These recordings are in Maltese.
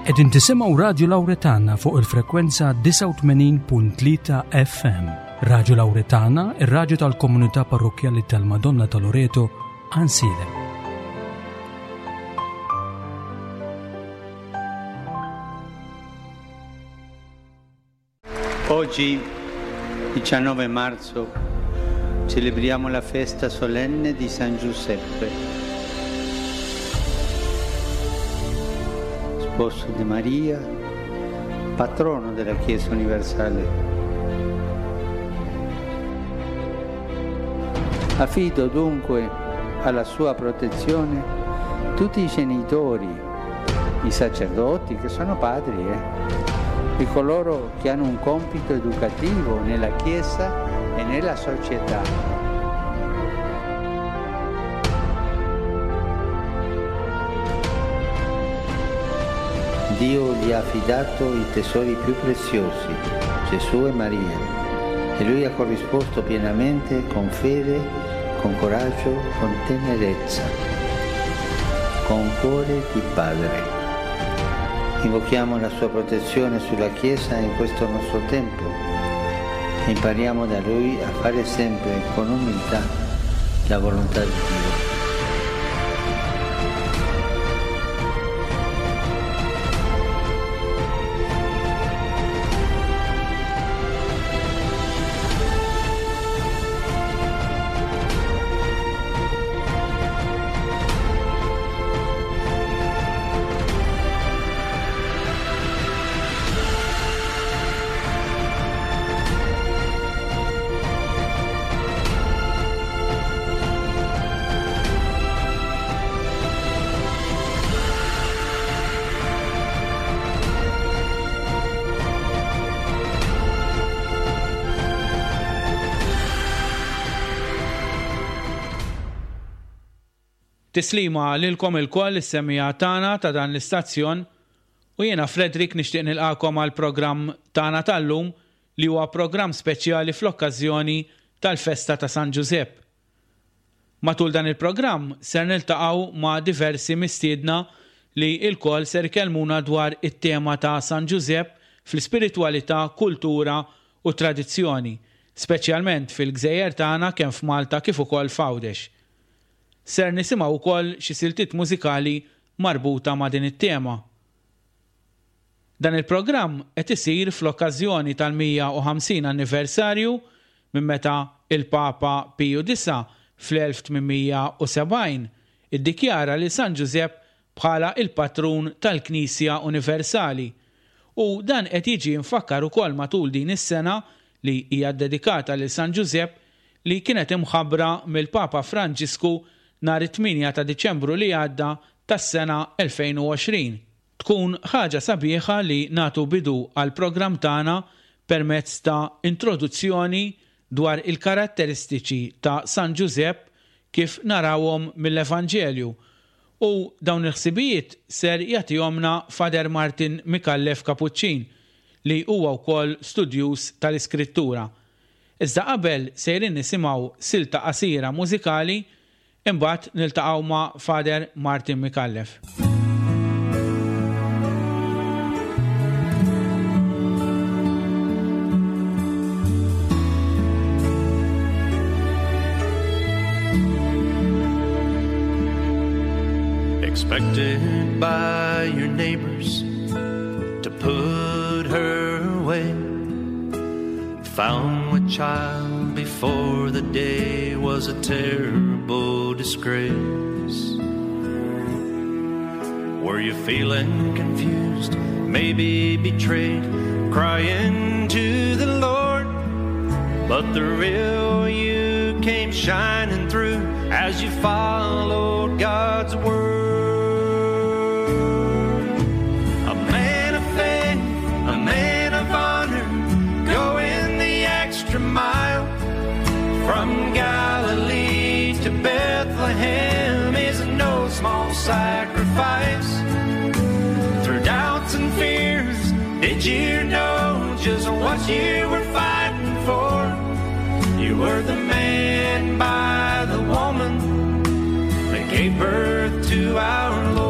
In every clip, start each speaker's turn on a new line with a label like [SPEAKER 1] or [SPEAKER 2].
[SPEAKER 1] Qegħdin tisimgħu Radju Lawretana fuq il-frekwenza 89.3 FM. Radju Lawretana, ir-radju tal-komunità parrokkjali tal-Madonna ta' Loreto, Ansilem.
[SPEAKER 2] Oggi, 19 marzo, celebriamo la festa solenne di San Giuseppe, sposo di Maria, patrono della Chiesa universale. Affido dunque alla sua protezione tutti i genitori, i sacerdoti che sono padri, eh, e coloro che hanno un compito educativo nella Chiesa e nella società. Dio gli ha affidato i tesori più preziosi, Gesù e Maria, e lui ha corrisposto pienamente con fede, con coraggio, con tenerezza, con cuore di padre. Invochiamo la sua protezione sulla Chiesa in questo nostro tempo e impariamo da lui a fare sempre con umiltà la volontà di Dio.
[SPEAKER 3] Tislima lilkom ilkoll is-semmiegħa tagħna ta' dan l-istazzjon u jiena Frederick nixtieq nilqagħkom għall-programm tagħna tal-lum li huwa programm speċjali fl-okkażjoni tal-festa ta' San Ġużepp. Matul dan il-programm ser niltaqgħu ma' diversi mistiedna li lkoll ser ikellmuna dwar it-tema ta' San Ġużepp fl-ispiritwalità, kultura u tradizzjoni, speċjalment fil-gżejjer tagħna kemm f'Malta kif ukoll f'Għawdex. Ser nisimgħu wkoll xi siltiet mużikali marbuta ma' din it-tema. Dan il-programm qed isir fl-okkażjoni tal-150 anniversarju minn meta il-Papa Piju Disa' fl-1870 iddikjara lil San Ġużepp bħala il-patrun tal-Knisja Universali u dan qed jiġi mfakkar ukoll matul din is-sena li hija ddedikata lil San Ġużepp li kienet imħabbra mill-Papa Franġisku nhar it-tmienja ta' Diċembru li għadda tas-sena 2020. Tkun ħaġa sabiħa li nagħtu bidu għall-programm tagħna permezz ta' introduzzjoni dwar il-karatteristiċi ta' San Ġużepp kif narawhom mill-Evanġelju u dawn il-ħsibijiet ser jagħtihomlna Father Martin Micallef Kapuċċin li huwa wkoll studjuż tal-Iskrittura. Iżda qabel sejrin nisimgħu silta qasira mużikali imbagħad niltaqgħu ma' Father Martin Micallef.
[SPEAKER 4] Expected by your neighbors to put her away. Found with child before the day was a terrible disgrace. Were you feeling confused, maybe betrayed, crying to the Lord? But the real you came shining through as you followed God's word. A man of faith, a man of honor, going the extra mile. From Galilee to Bethlehem is no small sacrifice. Through doubts and fears, did you know just what you were fighting for? You were the man by the woman that gave birth to our Lord.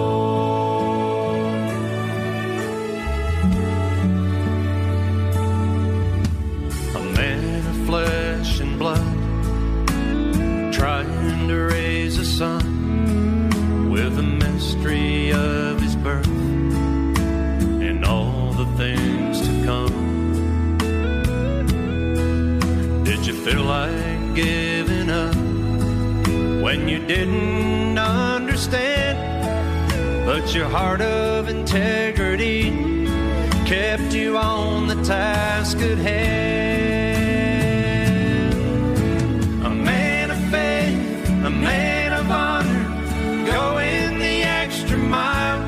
[SPEAKER 4] mystery of his birth and all the things to come? Did you feel like giving up when you didn't understand? But your heart of integrity kept you on the task at hand. A man of faith, a man of honor, going the extra mile.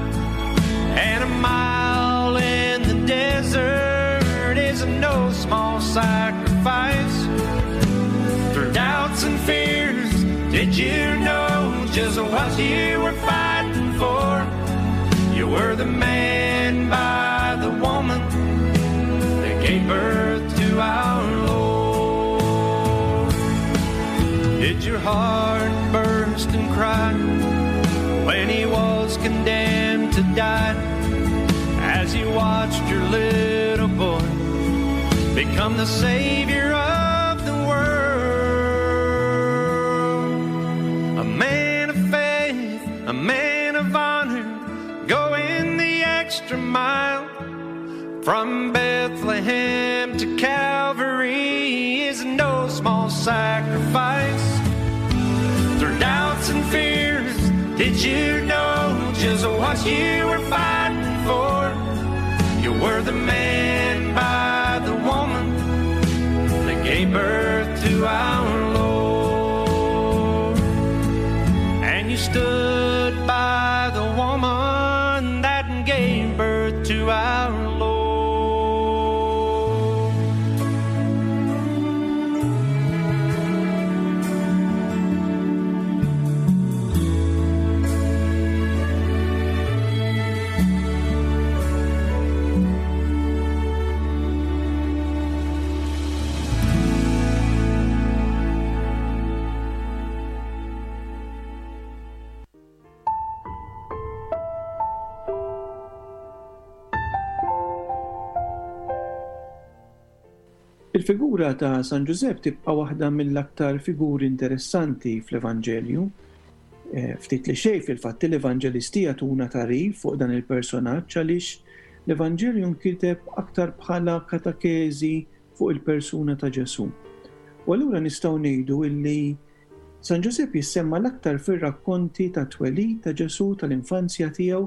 [SPEAKER 4] And a mile in the desert is no small sacrifice. Through doubts and fears, did you know just what you were fighting for? You were the man by the woman that gave birth to our Lord. Did your heart burst and cry when he was condemned to die? As you watched your little boy become the savior of the world. A man of faith, a man of honor, going the extra mile. From Bethlehem to Calvary is no small sacrifice. Through doubts and fears, did you know just what you were fighting for? You were the man by the woman that gave birth to our Lord. And you stood by the woman that gave birth to our Lord.
[SPEAKER 5] Il-figura ta' San Ġużepp tibqa' waħda mill-aktar figuri interessanti fl-Evanġelju. Eh, ftit li xejn fil-fatt l-Evanġelisti jagħtuna tagħrif fuq dan il-personaġġ għaliex l-Evanġelju nkiteb aktar bħala katakezi fuq il-persuna ta' Ġesù. U allura nistgħu ngħidu illi San Ġużepp jissemma l-aktar fir-rakkonti tat-twelid ta' Ġesù, tal-infanzja tiegħu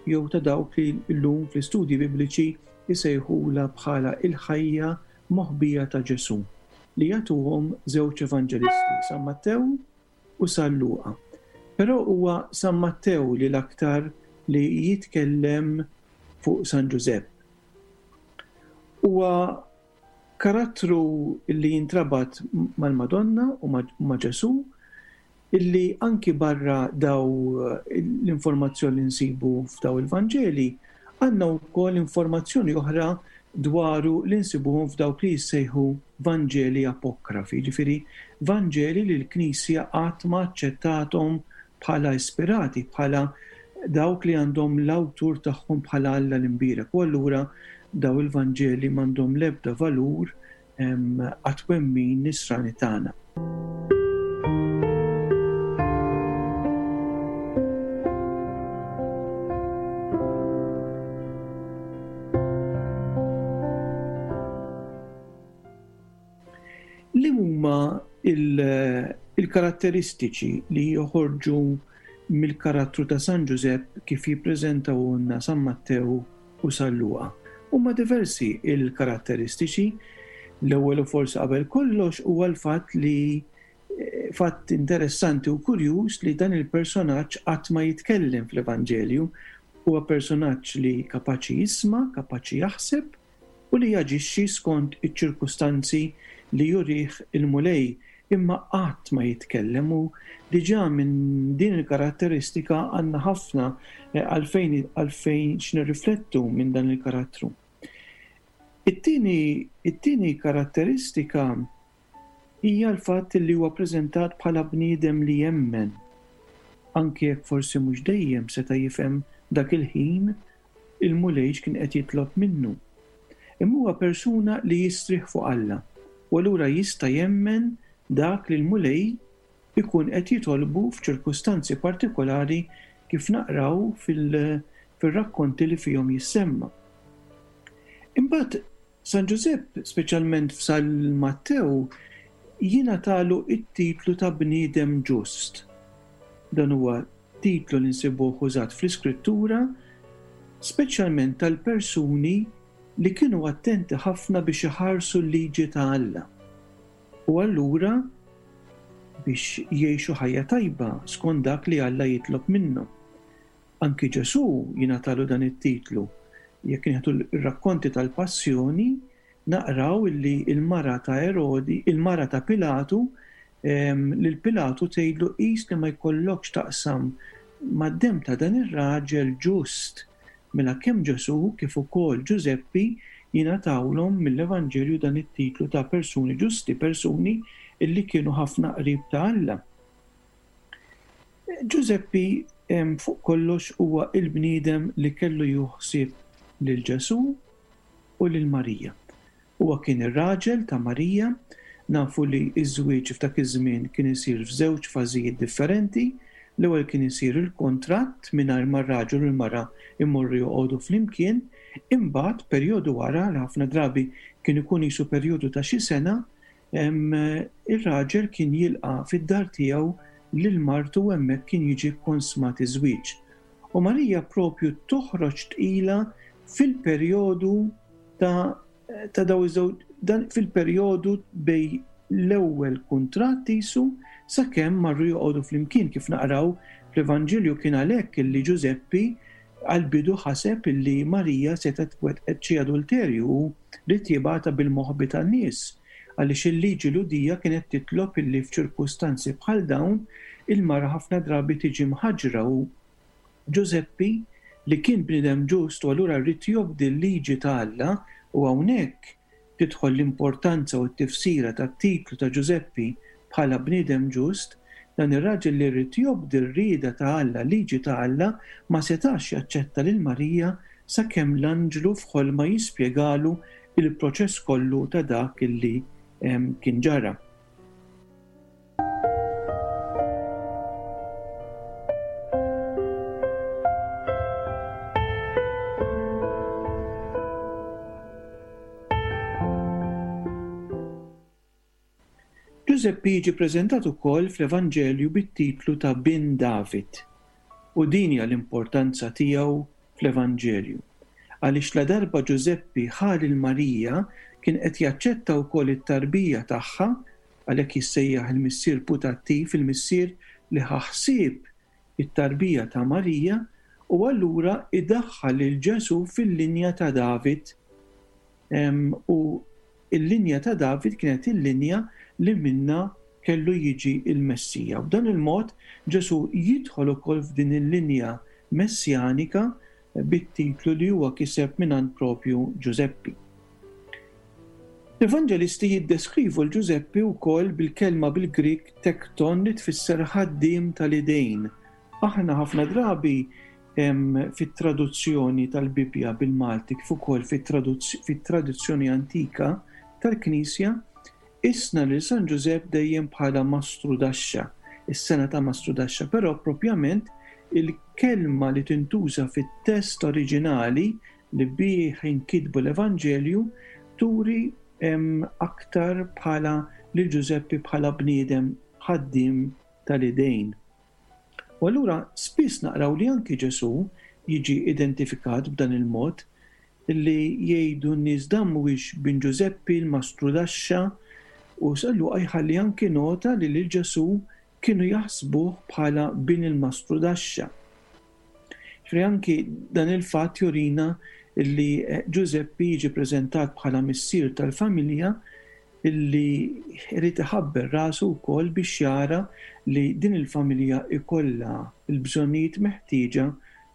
[SPEAKER 5] jew ta' dawk li llum fl-istudji Bibliċi jsejħulha bħala il-ħajja moħbija ta' Ġesù, li jagħtuhom żewġ evanġelisti, San Mattew u San Luqa. Però huwa San Mattew li l-aktar li jitkellem fuq San Ġużepp. Huwa Karattru li jintrabat mal-Madonna u ma' Ġesù, illi anki barra daw l-informazzjoni li nsibu f'daw il-Vanġeli, għandna wkoll informazzjoni oħra dwaru li nsibuhom f'dawk li jissejħu Vanġeli apokrafi, jiġifieri Vanġeli li l-Knisja qatt ma aċċettathom bħala ispirati, bħala dawk li għandhom l-awtur tagħhom bħala Alla l-Imbierek u allura daw il-Vanġeli m'għandhom l-ebda valur għat-twemmin nisrani tagħna. Li huma il-karatteristiċi li joħorġu mill-karattru ta' San Ġużepp kif jippreżentawhulna San Mattew u San Luqa? Huma diversi l-karatteristiċi. L-ewwel u forsi qabel kollox huwa l-fatt li fatt interessanti u kurjuż li dan il-personaġġ qatt ma jitkellem fl-Evanġelju. Huwa personaġġ li kapaċi jisma', kapaċi jaħseb, u li jaġixxi skont iċ-ċirkustanzi li jurih il-Mulej, imma qatt ma jitkellem u diġà minn din il-karatteristika għandna ħafna għalfejn għalfejn x'nirriflettu minn dan il-karattru. It-tieni it-tieni karatteristika hija l-fatt li huwa ppreżentat bħala bniedem li jemmen, anki jekk forsi mhux dejjem seta' jifhem dak il-ħin il-Mulej x'kien qed jitlob minnu. Imma huwa persuna li jistrieħ fuq Alla u allura jista' jemmen dak li l-Mulej ikun qed jitolbu f'ċirkustanzi partikolari kif naqraw fil-rakkonti li fihom jissemma. Imbagħad San Ġużepp, speċjalment f'San Mattew, jingħatalu t-titlu ta' bniedem ġust. Dan huwa titlu li nsibuh użat fl-Iskrittura, speċjalment tal-persuni li kienu attenti ħafna biex iħarsu l-liġi ta' Alla. U allura biex jgħixu ħajja tajba skont dak li Alla jitlob minnhom. Anki Ġesù jingħatalu dan it-titlu. Jekk nieħdu r-rakkonti tal-Passjoni, naqraw illi l-mara ta' Erodi, il-mara ta' Pilatu, lil Pilatu tgħidlu qis li ma jkollokx taqsam mad-demm ta' dan ir-raġel ġust. Mela kemm Ġesù kif ukoll Ġużeppi jingħatawlhom mill-Evanġelju dan it-titlu ta' persuni ġusti, persuni illi kienu ħafna qrib ta' Alla. Ġużeppi fuq kollox huwa l-bniedem li kellu jieħu ħsieb lil Ġesù u lil Marija. Huwa kien ir-raġel ta' Marija. Nafu li ż-żwieġ f'dak iż-żmien kien isir f'żewġ fażijiet differenti. L-ewwel kien isir il-kuntratt mingħajr ma r-raġel u l-mara jmorru joqogħdu flimkien, imbagħad perjodu wara, li ħafna drabi kien ikun qisu perjodu ta' xi sena, Ir-raġel kien jilqa' fid-dar tiegħu lil martu u hemmhekk kien jiġi kkonsmat iż-żwieġ. U Marija propju toħroġ tqila fil-perjodu ta' ta' daw iż-żewġ dan fil-perjodu bejn l-ewwel kuntratt qisu sakemm marru joqogħdu flimkien kif naqraw fl-Evanġelju kien għalhekk illi Ġużeppi Għall-bidu ħaseb illi Marija setgħet wettqet xi adulterju u ried jibgħatha bil-moħbi tan-nies, għaliex il-liġi Lhudija kienet titlob illi f'ċirkustanzi bħal dawn il-mara ħafna drabi tiġi mħaġġra u Ġużeppi, li kien bniedem ġust u allura ried jobdi l-liġi ta' Alla u hawnhekk tidħol l-importanza u t-tifsira tat-titlu ta' Ġużeppi bħala bniedem ġust, dan ir-raġel li ried jobdi r-rieda ta' Alla, l-liġi ta' Alla, ma setax jaċċetta lil Marija sakemm l-anġlu f'ħolma jispjegalu l-proċess kollu ta' dak li kien ġara. Ġużeppi jiġi ppreżentat ukoll fl-Evanġelju bit-titlu ta' Bin David, u din hija l-importanza tiegħu fl-Evanġelju. Għaliex ladarba Ġużeppi ħa lil Marija kien qed jaċċetta wkoll it-tarbija tagħha Għalhekk jissejjaħ il-missier putattiv, il-missier li ħa ħsieb it-tarbija ta' Marija u allura idaħħal lil Ġesù fil-linja ta' David. U l-linja ta' David kienet il-linja li minnha kellu jiġi l-Messija. U b'dan il-mod Ġesù jidħol ukoll f'din il-linja messjanika bit-titlu li huwa kiseb mingħand propju Ġużeppi. L-Evanġelisti jiddeskrivu 'l Ġużeppi wkoll bil-kelma bil-Grieg tekton li tfisser ħaddiem tal-idejn. Aħna ħafna drabi fit-traduzzjoni tal-Bibbja bil-Malti kif ukoll fit-tradizzjoni antika tal-Knisja qisna lil San Ġużepp dejjem bħala mastrudaxxa, is-sengħa ta' mastrudaxxa, però propjament il-kelma li tintuża fit-test oriġinali li bih inkitbu l-Evanġelju turi aktar bħala lil Ġużeppi bħala bniedem ħaddiem tal-idejn. U allura spiss naqraw li anki Ġesù jiġi identifikat b'dan il-mod li jgħidu n-nies dan mhuwiex bin Ġużeppi l-mastrudaxxa u San Luqa jħalli anki nota li lil Ġesù kienu jaħsbuh bħala bin il-mastrudaxxa. Ġifieri anki dan il-fatt jurina li Ġużeppi jiġi preżentat bħala missier tal-familja li jrid iħabber rasu wkoll biex jara li din il-familja jkollha l-bżonnijiet meħtieġa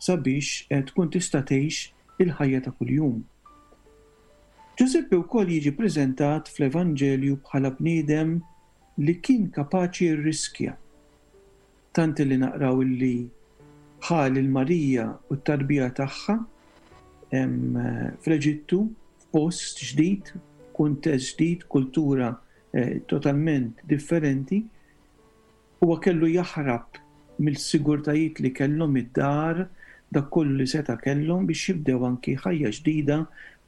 [SPEAKER 5] sabiex tkun tista' tgħix il-ħajja ta' kuljum. Ġużeppi wkoll jiġi preżentat fl-Evanġelju bħala bniedem li kien kapaċi jirriskja. Tant illi naqraw illi ħa lil Marija u t-tarbija tagħha fl-Eġittu, f'post ġdid, f'kuntest ġdid, kultura totalment differenti. Huwa kellu jaħrab. mill-sigurtajiet li kellhom id-dar, dak kollu li seta' kellhom biex jibdew anki ħajja ġdida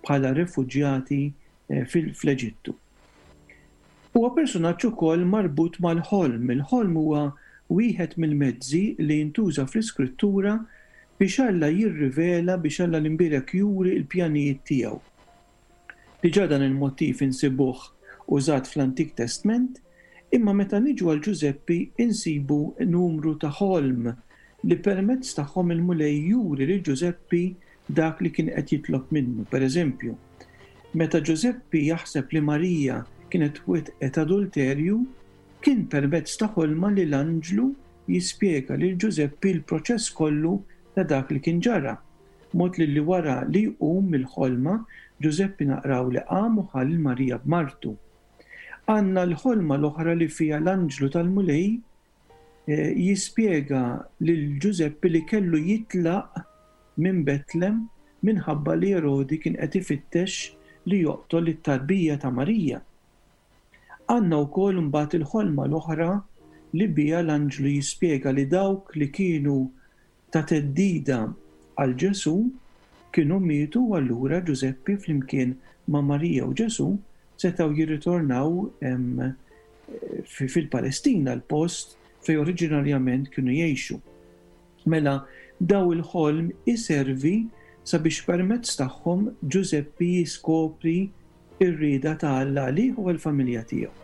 [SPEAKER 5] bħala refuġjati fl-Eġittu. Huwa persunaġġ ukoll marbut mal-ħolm. Il-ħolm huwa wieħed mill-mezzi li jintuża fl-Iskrittura biex Alla jirrivela, biex Alla l-Imbierek juri l-pjanijiet tiegħu. Diġà dan il-motiv insibuh użat fl-Antik Testment, imma meta niġu għal Ġużeppi insibu numru ta' ħolm li permezz tagħhom il-Mulej juri lil Ġużeppi dak li kien qed jitlob minnu. Per eżempju, meta Ġużeppi jaħseb li Marija kienet wettqet adulterju, kien permezz ta' ħolma li l-anġlu jispjega lil Ġużeppi l-proċess kollu ta' dak li kien ġara, mod li li wara li jqum mill-ħolma, Ġużeppi naqraw li qam u ħa lil Marija b'martu. Għandna l-ħolma l-oħra li fiha l-anġlu tal-Mulej jispjega lil Ġużeppi li kellu jitlaq minn Betlem minħabba li Erodi kien qed ifittex li joqtol lit-tarbija ta' Marija. Għandna wkoll imbagħad il-ħolma l-oħra li biha l-anġlu jispjega li dawk li kienu ta' theddida għal Ġesù kienu mietu u allura Ġużeppi flimkien ma' Marija u Ġesù setgħu jirritornaw fil-Palestina, l-post fejn oriġinarjament kienu jgħixu. Mela daw il-ħolm iservi sabiex permezz tagħhom Ġużeppi jiskopri r-rieda ta' Alla għalih u għall-familja tiegħu.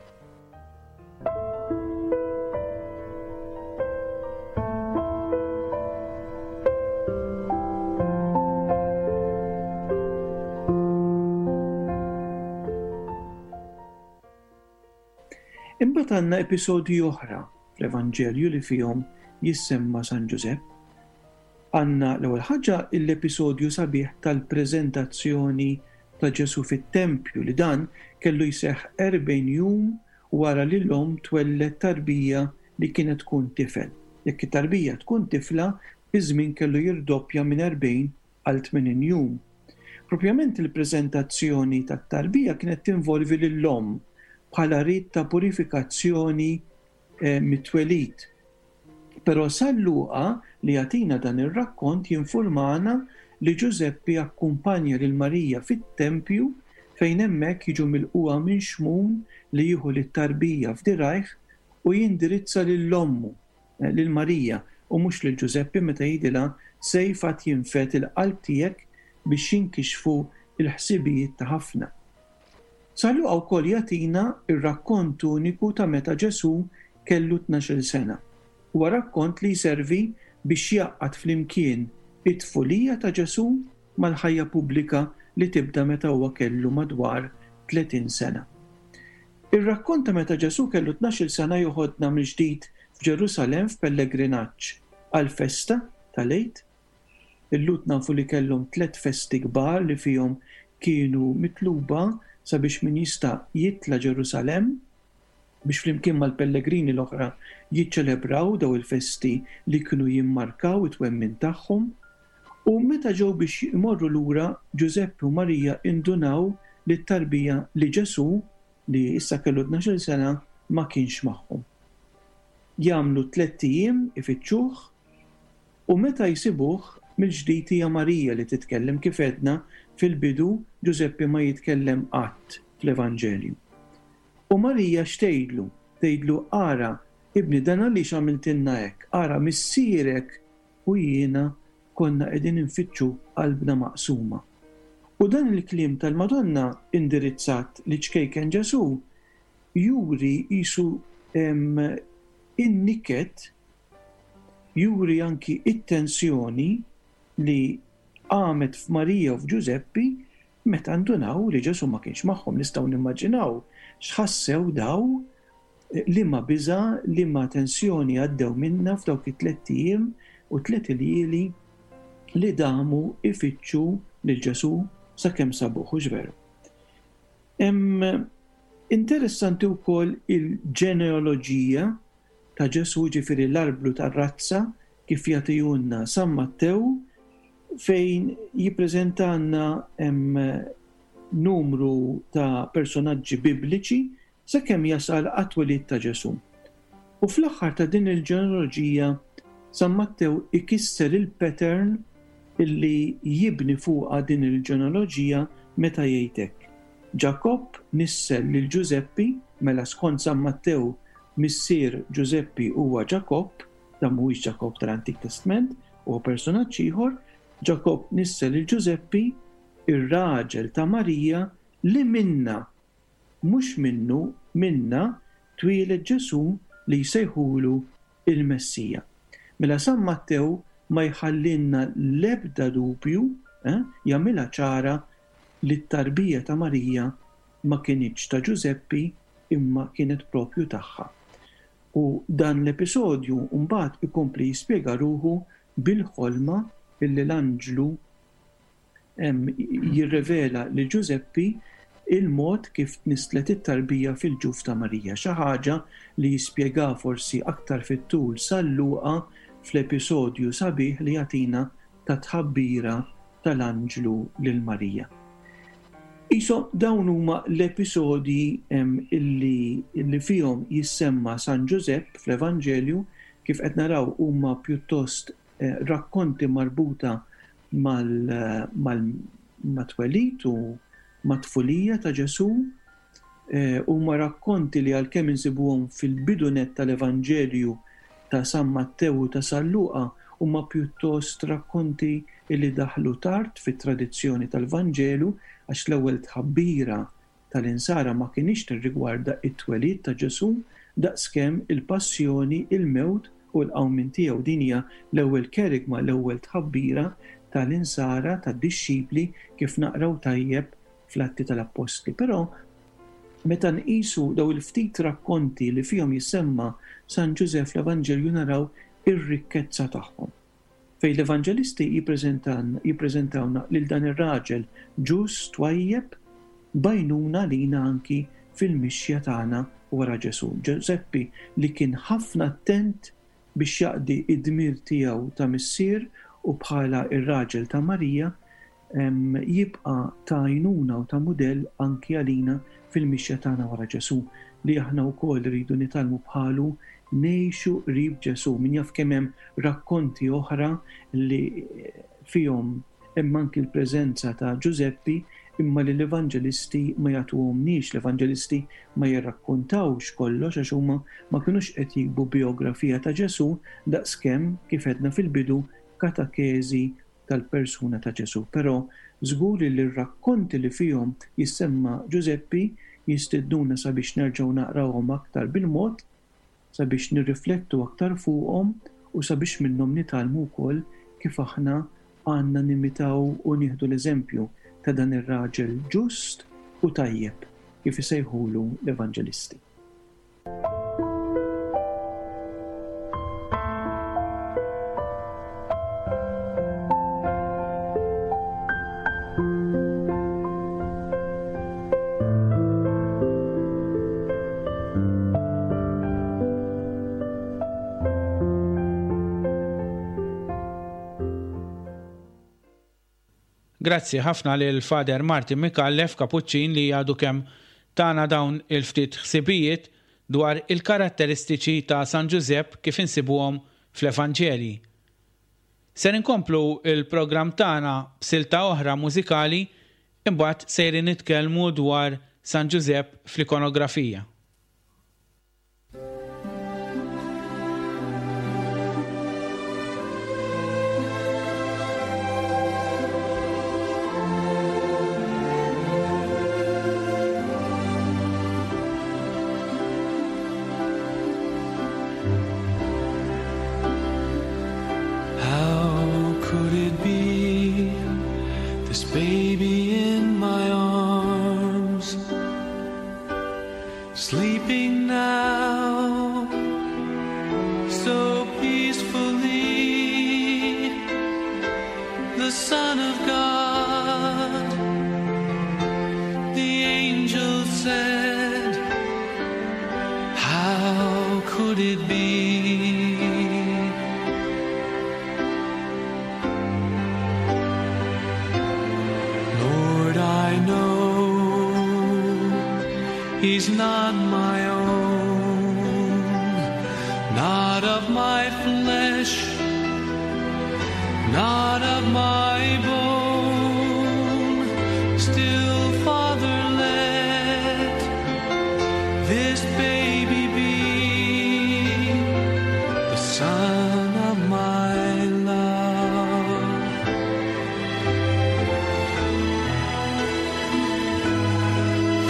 [SPEAKER 5] Imbagħad għandna episodji oħra fl-Evanġelju li fihom jissemma San Ġużepp. Għandna l-ewwel ħaġa l-episodju sabiħ tal-preżentazzjoni ta' Ġesù fit-tempju li dan kellu jseħħ 40 jum wara li l-omm twelled tarbija li kienet tkun tifel. Jekk it-tarbija tkun tifla, iż-żmien kellu jirdoppja minn 40 għal 80 jum. Propjament il-preżentazzjoni tat-tarbija kienet tinvolvi lill-omm bħala rit ta' purifikazzjoni mit-twelid. Però San Luqa li jagħtina dan ir-rakkont jinfurmana li Ġużeppi akkumpanja lil Marija fit-tempju fejn hemmhekk jiġu milqugħa minn Xmun li jieħu lit-tarbija f'dirgħajh u jindirizza lil ommu, lil Marija, u mhux lil Ġużeppi meta jgħidilha sejf għad jinfed il-qalb tiegħek biex jinkixfu l-ħsibijiet ta' ħafna. San Luqa wkoll jagħtina r-rakkont uniku ta' meta Ġesù kellu tnax-il sena. Huwa rakkont li jservi biex jgħaqqad flimkien it-tfulija ta' Ġesù mal-ħajja pubblika li tibda meta huwa kellu madwar 30 sena. Ir-rakkont ta' meta Ġesù kellu tnax-il sena joħodna mill-ġdid f'Ġerusalemm f'pellegrinaġġ għall-festa tal-Għid. Il-Lhud nafu li kellhom tlett festi kbar li fihom kienu mitluba sabiex min jista' jitla' Ġerusalemm biex flimkien mal-pellegrini l-oħra jiċċelebraw daw il-festi li kienu jimmarkaw it-twemmin tagħhom. U meta ġew biex imorru lura, Ġużeppi u Marija indunaw li t-tarbija, li Ġesù, li issa kellu tnax-il sena, ma kienx magħhom. Jagħmlu tlett ijiem ifittxuh, U meta jsibuh, mill-ġdid hija Marija li titkellem, kif għedna fil-bidu, Ġużeppi ma jitkellem qatt fl-Evanġelju. U Marija x'tgħidlu? Tgħidlu, Ara, ibni, dan għaliex għamiltilna hekk? Ara, missierek u jiena konna qegħdin infittxuk b'qalbna maqsuma. U dan il-kliem tal-Madonna indirizzat liċ-ċkejken Ġesù juri qisu in-niket juri anki t-tensjoni li qamet f'Marija u f'Ġużeppi meta ndunaw li Ġesù ma kienx magħhom. Nistgħu nimmaġinaw x'ħassew daw, liema biża', liema tensjoni għaddew minnha f'dawk it-tlett ijiem u tliet iljieli li damu jfittxu lil Ġesù sakemm sabuh, hux veru? Hemm interessanti wkoll il-ġenealoġija ta' Ġesù, jiġifieri l-arblu tar-razza kif jagħtihulna San Mattew fejn jippreżentalna numru ta' personaġġi bibliċi sakemm jasal għat-twelid ta' Ġesù. U fl-aħħar ta' din il-ġenealoġija. San Mattew ikisser il-pattern illi jibni fuqha din il-ġenealoġija meta jgħid hekk, Ġakobb nissel lil Ġużeppi, mela skont San Mattew missier Ġużeppi huwa Ġakobb, dan mhuwiex Ġakobb tal-Antik Testment, huwa persunaġġ ieħor, Ġakobb nissel lil Ġużeppi, ir-raġel ta' Marija li minnha, mhux minnu, minnha, twieled Ġesù li jsejħulu il-Messija. Mela San Mattew ma jħallilna l-ebda dubju, eh, jagħmilha ċara li t-tarbija ta' Marija ma kinitx ta' Ġużeppi imma kienet proprju tagħha. U dan l-episodju mbagħad ikompli jispjega ruħu bil-ħolma illi l-anġlu jirrivela lil Ġużeppi il-mod kif tnisslet it-tarbija fil-ġuf ta' Marija, xi ħaġa li jispjega forsi aktar fit-tul San Luqa fl-episodju sabiħ li jagħtina tat-tħabbira tal-anġlu lil Marija. Qishom dawn huma l-episodji illi illi fihom jissemma San Ġużepp fl-Evanġelju, kif qed naraw huma pjuttost rakkonti marbuta mat-twelid u mat-tfulija ta' Ġesù. Huma rakkonti li għalkemm insibuhom fil-bidu nett tal-Evanġelju ta' San Mattew u ta' San Luqa, huma pjuttost rakkonti li daħlu tard fit-tradizzjoni tal-Vanġelu għax l-ewwel tħabbira tal-Insara ma kinitx tirrigwarda t-twelid ta' Ġesù daqskemm il-passjoni, il-mewt u l-qawmien tiegħu. Din hija l-ewwel kerygma, l-ewwel tħabbira tal-Insara, tad-dixxipli, kif naqraw tajjeb fl-Atti tal-Appostli. Però meta nqisu dawn il-ftit rakkonti li fihom jissemma San Ġużepp fl-Evanġelju naraw ir-rikkezza tagħhom. Fejn l-Evanġelisti jippreżentawna lil dan ir-raġel ġust, twajjeb, b'għajnuna lina anki fil-mixja tagħna wara Ġesù. Ġużeppi li kien ħafna attent biex jaqdi d-dmir tiegħu ta' missier u bħala r-raġel ta' Marija, jibqa' ta' għajnuna u ta' mudell anki għalina fil-mixja tagħna wara Ġesù, li aħna wkoll irridu nitgħallmu bħalu ngħixu qrib Ġesù. Min jaf kemm hemm rakkonti oħra li fihom hemm anki l-preżenza ta' Ġużeppi imma li l-Evanġelisti ma jagħtuhomniex, l-Evanġelisti ma jirrakkuntawx kollox għax huma ma kinux qed jiktbu bijografija ta' Ġesù daqskemm, kif għedna fil-bidu, katekeżi tal-persuna ta' Ġesù. Però żgur li r-rakkonti li fihom jissemma Ġużeppi jistednuna sabiex nerġgħu naqrawhom aktar bil-mod, sabiex nirriflettu aktar fuqhom u sabiex minnhom nitgħallmu wkoll kif aħna għandna nimitaw u nieħdu l-eżempju ta' dan ir-raġel ġust u tajjeb, kif isejħulu l-Evanġelisti.
[SPEAKER 3] Grazzi ħafna lil Father Martin Micallef, Kapuċċin li għadu kemm tana dawn il-ftit ħsibijiet dwar il-karatteristiċi ta' San Ġużepp kif insibuhom fl-Evanġelji. Ser inkomplu l-programm tagħna b'silta oħra mużikali imbagħad sejrin nitkellmu dwar San Ġużepp fl-ikonografija.
[SPEAKER 4] How could it be this baby in my arms Sleeping now so peacefully The son of God The angel said How could it be? Lord, I know he's not my own, not of my flesh. Not of my bone, still, Father, let this baby be the son of my love.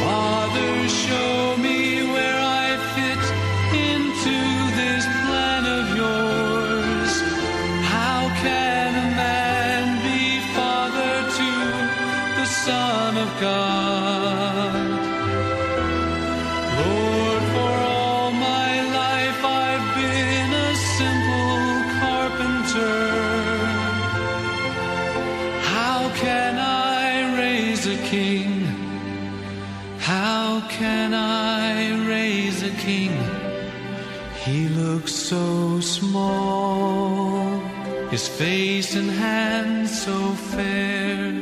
[SPEAKER 4] Father, show me where I fit into this plan of yours. How can a man be father to the Son of God? Lord, for all my life I've been a simple carpenter. How can I raise a king? How can I raise a king? He looks so small, his face and hands so fair.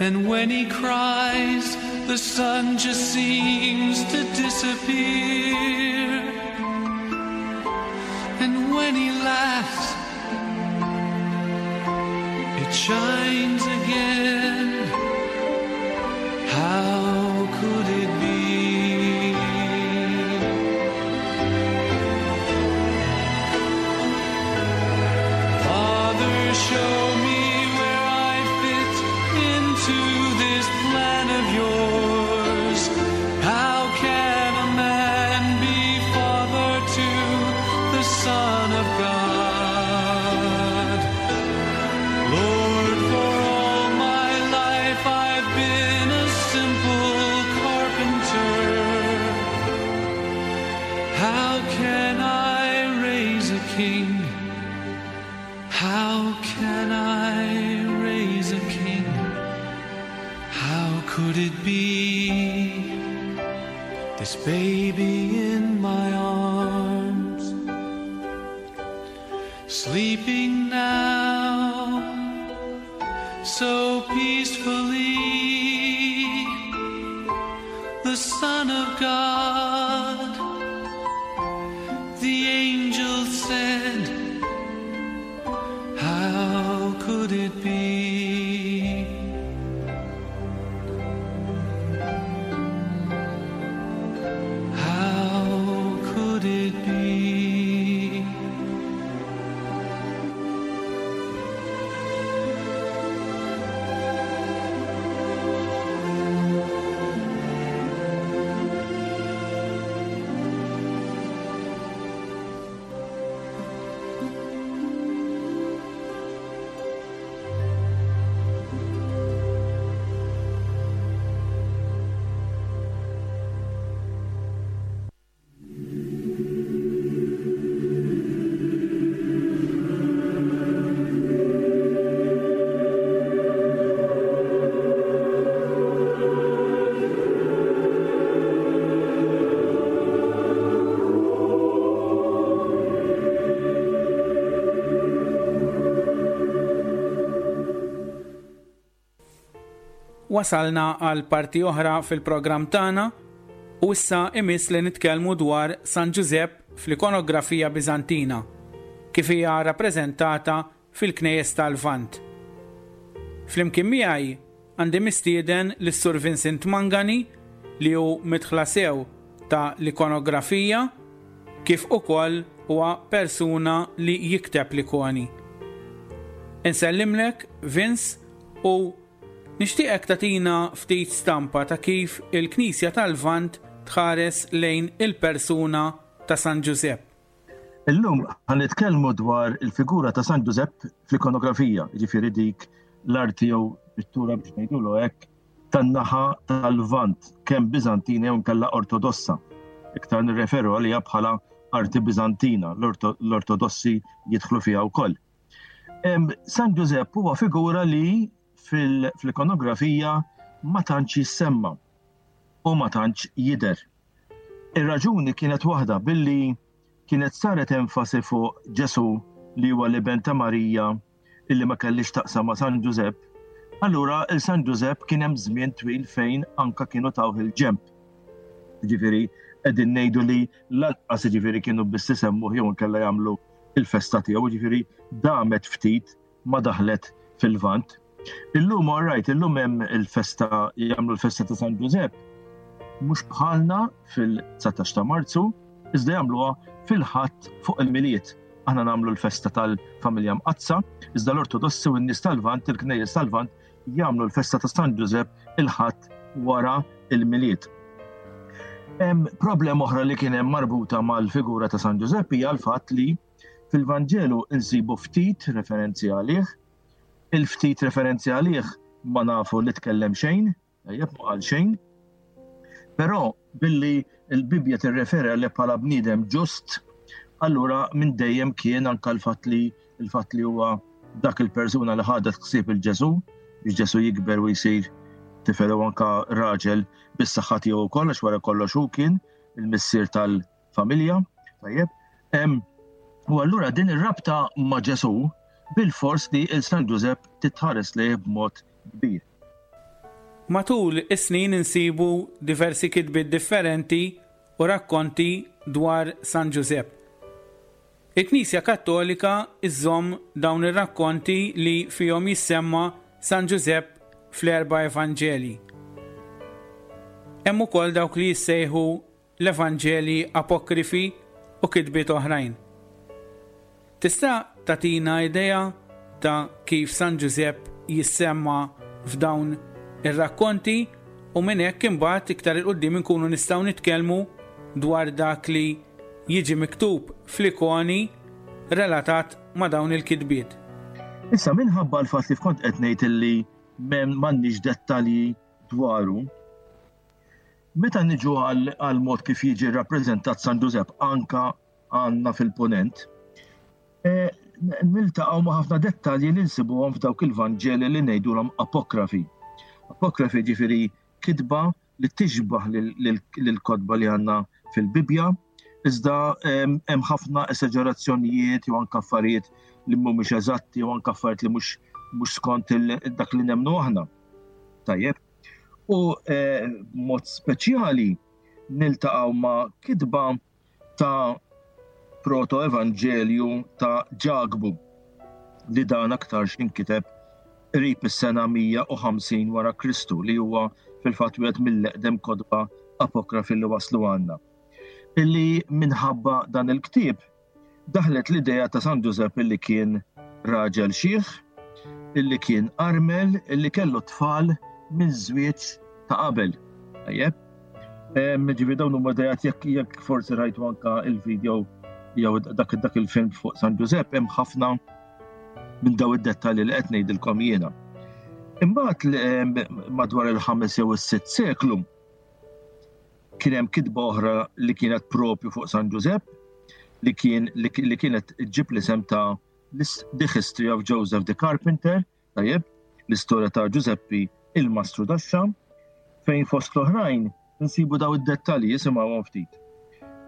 [SPEAKER 4] And when he cries, the sun just seems to disappear. And when he laughs, it shines again. How could it be? Father, show me where I fit into this plan of yours. How can a man be father to the Son of God? Lord, for all my life I've been a simple carpenter. How can I raise a king? How can I raise a king? How could it be? This baby in my arms, sleeping now so peacefully, the Son of God, the angel said, How could it be? How could it be?
[SPEAKER 3] Wasalna għal parti oħra fil-programm tagħna u issa imiss li nitkellmu dwar San Ġużepp fl-ikonografija Biżantina, kif hija rappreżentata fil-knejjes tal-Lvant. Flimkien miegħi għandi mistieden lis-Sur Vincent Mangani li hu midħla sew ta' l-ikonografija kif ukoll huwa persuna li jikteb l-ikoni. Insellimlek Vince u nixtieqek tagħtina ftit stampa ta' kif il-Knisja tal-Lvant tħares lejn il-persuna ta' San Ġużepp.
[SPEAKER 6] Illum ħa nitkellmu dwar il-figura ta' San Ġużepp fl-ikonografija, jiġifieri dik l-arti jew pittura biex ngħidulu hekk tan-naħa tal-Lvant, kemm Biżantina jew inkella Ortodossa. Iktar nirreferu għaliha bħala arti Biżantina, l-Ortodossi jidħlu fiha wkoll. San Ġużepp huwa figura li fil-ikonografija ma tantx jissemma u ma tantx jidher. Ir-raġuni kienet waħda billi kienet saret enfasi fuq Ġesù li huwa l-iben ta' Marija illi ma kellix taqsam ma' San Ġużepp, allura il San Ġużepp kien hemm żmien twil fejn anka kienu tawh il-ġenb. Ġifieri qegħdin ngħidu li lanqas jiġifieri kienu biss isemmuh jew inkella jagħmlu. il-festa tiegħu, ġifieri damet ftit ma daħlet fil-Lvant. Illum all right, illum hemm il-festa jagħmlu l-festa ta' San Ġużepp mhux bħalna fil-19 ta' Marzu, iżda jagħmluha fil-Ħadd fuq il-Milied. Aħna nagħmlu l-festa tal-Familja Mqaddsa, iżda l-Ortodossi u n-nies tal-Lvant, il-Knejjes tal-Lvant, jagħmlu l-festa ta' San Ġużepp il-Ħadd wara il-Milied. Hemm problema oħra li kien hemm marbuta mal-figura ta' San Ġużepp hija l-fatt li fil-Vanġelu nsibu ftit referenzi għalih, il-ftit referenzi għalih ma nafu li tkellem xejn, tajjeb ma qal xejn. Però billi l-Bibbja tirreferi għalih bħala bniedem ġust, allura minn dejjem kien anka l-fatt li l-fatt li huwa dak il-persuna li ħadet ħsieb il-Ġesu biex Ġesu jikber u jsir tifel u anka raġel bis-saħħa tiegħu wkoll għax wara kollox hu kien il-missier tal-familja. Tajjeb. U allura din ir-rabta ma' Ġesu bil-fors li il-San Ġużepp titħares lejh b'mod kbir.
[SPEAKER 3] Matul is-snin insibu diversi kitbiet differenti u rakkonti dwar San Ġużepp. Il-Knisja Kattolika żżomm dawn ir-rakkonti li fihom jissemma San Ġużepp fl-erba' Evanġelji. Hemm ukoll dawk li jissejħu l-Evanġelji apokrifi u kitbiet oħrajn. Tista' tagħtina idea ta' kif San Ġużepp jissemma f'dawn ir-rakkonti u minn hekk imbagħad iktar 'il quddiem inkunu nistgħu nitkellmu dwar dak li jiġi miktub fl-ikoni relatat ma' dawn il-kitbiet.
[SPEAKER 6] Issa minħabba l-fatt li kont qed ngħid illi m'għandniex dettalji dwaru, meta niġu għal mod kif jiġi rrappreżentat San Ġużepp anka għandna fil-Punent, e, niltaqgħu ma' ħafna dettalji li nsibuhom f'dawk il-Vanġeli li ngħidulhom apokrafi. Apokrafi ġifieri kitba li tixbah lill-kotba li għandna fil-Bibbja, iżda hemm ħafna esaġerazzjonijiet jew anke affarijiet li mhumiex eżatti jew anke affarijiet li mhux mhux skont dak li nemmnu aħna. Tajjeb. U eh, mod speċjali niltaqgħu ma' kitba ta' proto-evanġelju ta' Ġakbu li dan aktarx inkiteb qrib is-sena 150 wara Kristu li huwa fil-fatt wieħed mill-eqdem kotba apokrafi li waslu għandna. Illi minħabba dan il-ktieb daħlet l-idea ta' San Ġużepp illi kien raġel xiħ, illi kien armel, illi kellu tfal minn żwieġ ta' qabel. Tajjeb? Ġifieri dawn huma idejat jekk jekk forsi rajtu anka il-video jew dak dak il-film fuq San Ġużepp hemm ħafna minn daw id-dettalji li qed ngħidilkom jiena. Imbagħad madwar il-ħames jew is-sitt seklu Kien hemm kitba oħra li kienet propju fuq San Ġużepp li kien li kienet ġib l-isem ta' The History of Joseph the Carpenter, tajjeb, l-istorja ta' Ġużeppi il-Mastru Daxxa, fejn fost l-oħrajn nsibu daw id-dettalji jisimgħuhom ftit.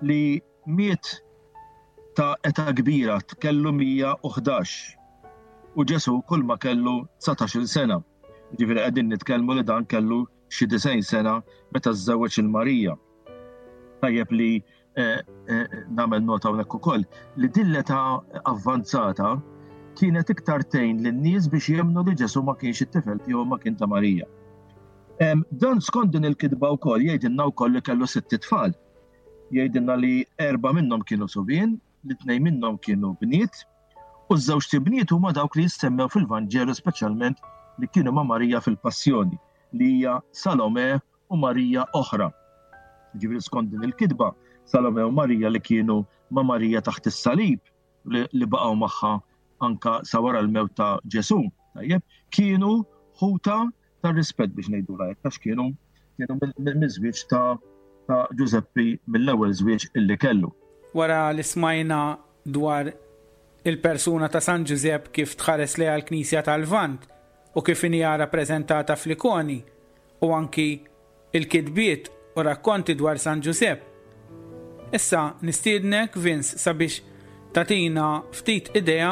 [SPEAKER 6] Li miet ta' età kbira kellu 111 u Ġesu kull ma kellu 19-il sena. Ġifieri qegħdin nitkellmu li dan kellu xi 90 sena meta żżewweġ il Marija. Tajjeb li eh, eh, nagħmel nota hawnhekk ukoll li din l-età avvanzata kienet iktar tgħin lin-nies biex jemmnu li Ġesu ma kienx it-tifel tiegħu ma kien ta' Marija. Dan skont din il-kitba wkoll jgħidilna wkoll li kellu sitt tfal. Jgħidilna li erba' minnhom kienu subien, li tnejn minnhom kienu bniet, u ż-żewġ tibniet huma dawk li jissemmew fil-Vanġelu speċjalment li kienu ma' Marija fil-Passjoni. li hija Salome u Marija oħra. Ġifieri skont din il-kitba, Salome u Marija li kienu ma' Marija taħt is-salib li baqgħu magħha anka sa wara l-mewt ta' Ġesu, tajjeb, kienu ħuta ta' rispett biex ngħidu hekk għax kienu kienu mill-żwieġ ta' ta' Ġużeppi mill-ewwel żwieġ illi kellu.
[SPEAKER 3] Wara li smajna dwar il-persuna ta' San Ġużepp kif tħares lejha l-Knisja tal-Lvant, u kif inhija rappreżentata fl-ikoni u anki l-kitbiet u rakkonti dwar San Ġużepp. Issa nistiednek Vince sabiex tagħtina ftit idea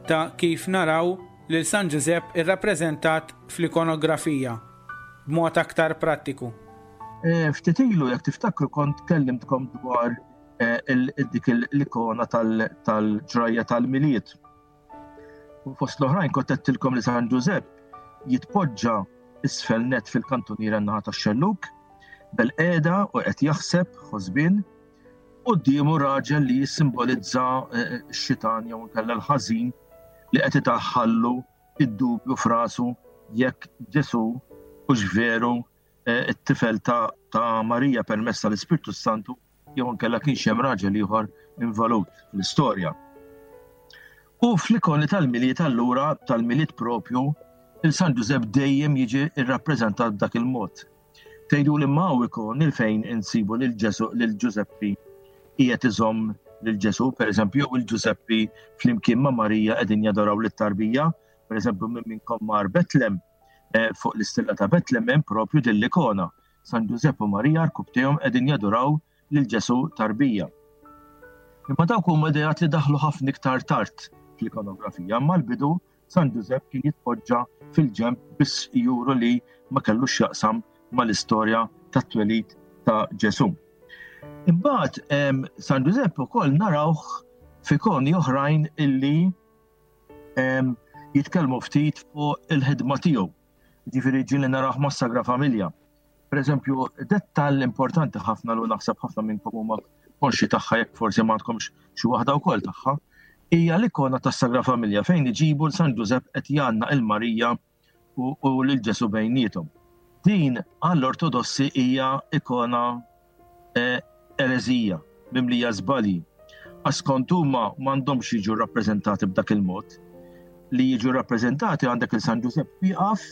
[SPEAKER 3] ta' kif naraw lil San Ġużepp irrappreżentat fl-ikonografija b'mod aktar prattiku.
[SPEAKER 6] Ftit ilu jekk tiftakru kont kellimtkom dwar. dik l-ikona tal-ġrajja tal-Milied. U fost l-oħrajn kont għedtilkom li San Ġużepp jitpoġġa isfel net fil-kantuniera n-naħa tax-xellug, bel-qiegħda u qed jaħseb ħosbien, quddiemu raġel li jissimbolizza eh, x-xitan jew inkella l-ħażin li qed idaħħallu id-dubju f'rasu jekk Ġesù hux veru eh, it-tifel ta', ta Marija permezz tal-Ispirtu Santu jew inkella kienx hemm raġel ieħor involut fl-istorja. U fl-ikoni tal-Milied allura tal-Milied propju il-San Ġużepp dejjem jiġi rrappreżentat b'dak il-mod. Tgħidu li ma hawn ikoni fejn insibu lil Ġesu lil Ġużeppi qiegħed iżomm lil Ġesu, pereżempju, jew il-Ġużeppi flimkien ma' Marija qegħdin jadoraw lit-tarbija, pereżempju minn minnkom mar Betlem, eh, fuq l-istilla ta' Betlem hemm propju din l-ikona. San Ġużepp u Marija rkubtejhom qegħdin jaduraw lil Ġesù tarbija. Imma dawk huma ideat li daħlu ħafna iktar tard fl-ikonografija, imma l-bidu San Ġużepp kien jitpoġġa fil-ġenb biss juru li ma kellux x'jaqsam mal-istorja tat-twelid ta' Ġesù. Imbagħad San Ġużepp ukoll narawh f'ikoni oħrajn illi jitkellmu ftit fuq il-ħidma tiegħu. Ġifieri ġieli narawh mas-Sagra Familja. Per eżempju, dettall importanti ħafna li naħseb ħafna minnkom huma konxi tagħha jekk forsi ma għandkomx xi waħda wkoll tagħha, hija l-ikona tas-Sagra Familja fejn iġibu l San Ġużepp qed jgħannaq il-Marija u lil Ġesu bejniethom. Din għall-Ortodossi hija ikona eh, ereżija, mimlija żbalji. Għax skont huma m'għandhomx jiġu rappreżentati b'dak il-mod. Li jiġu rappreżentati għandek il San Ġużepp wieqaf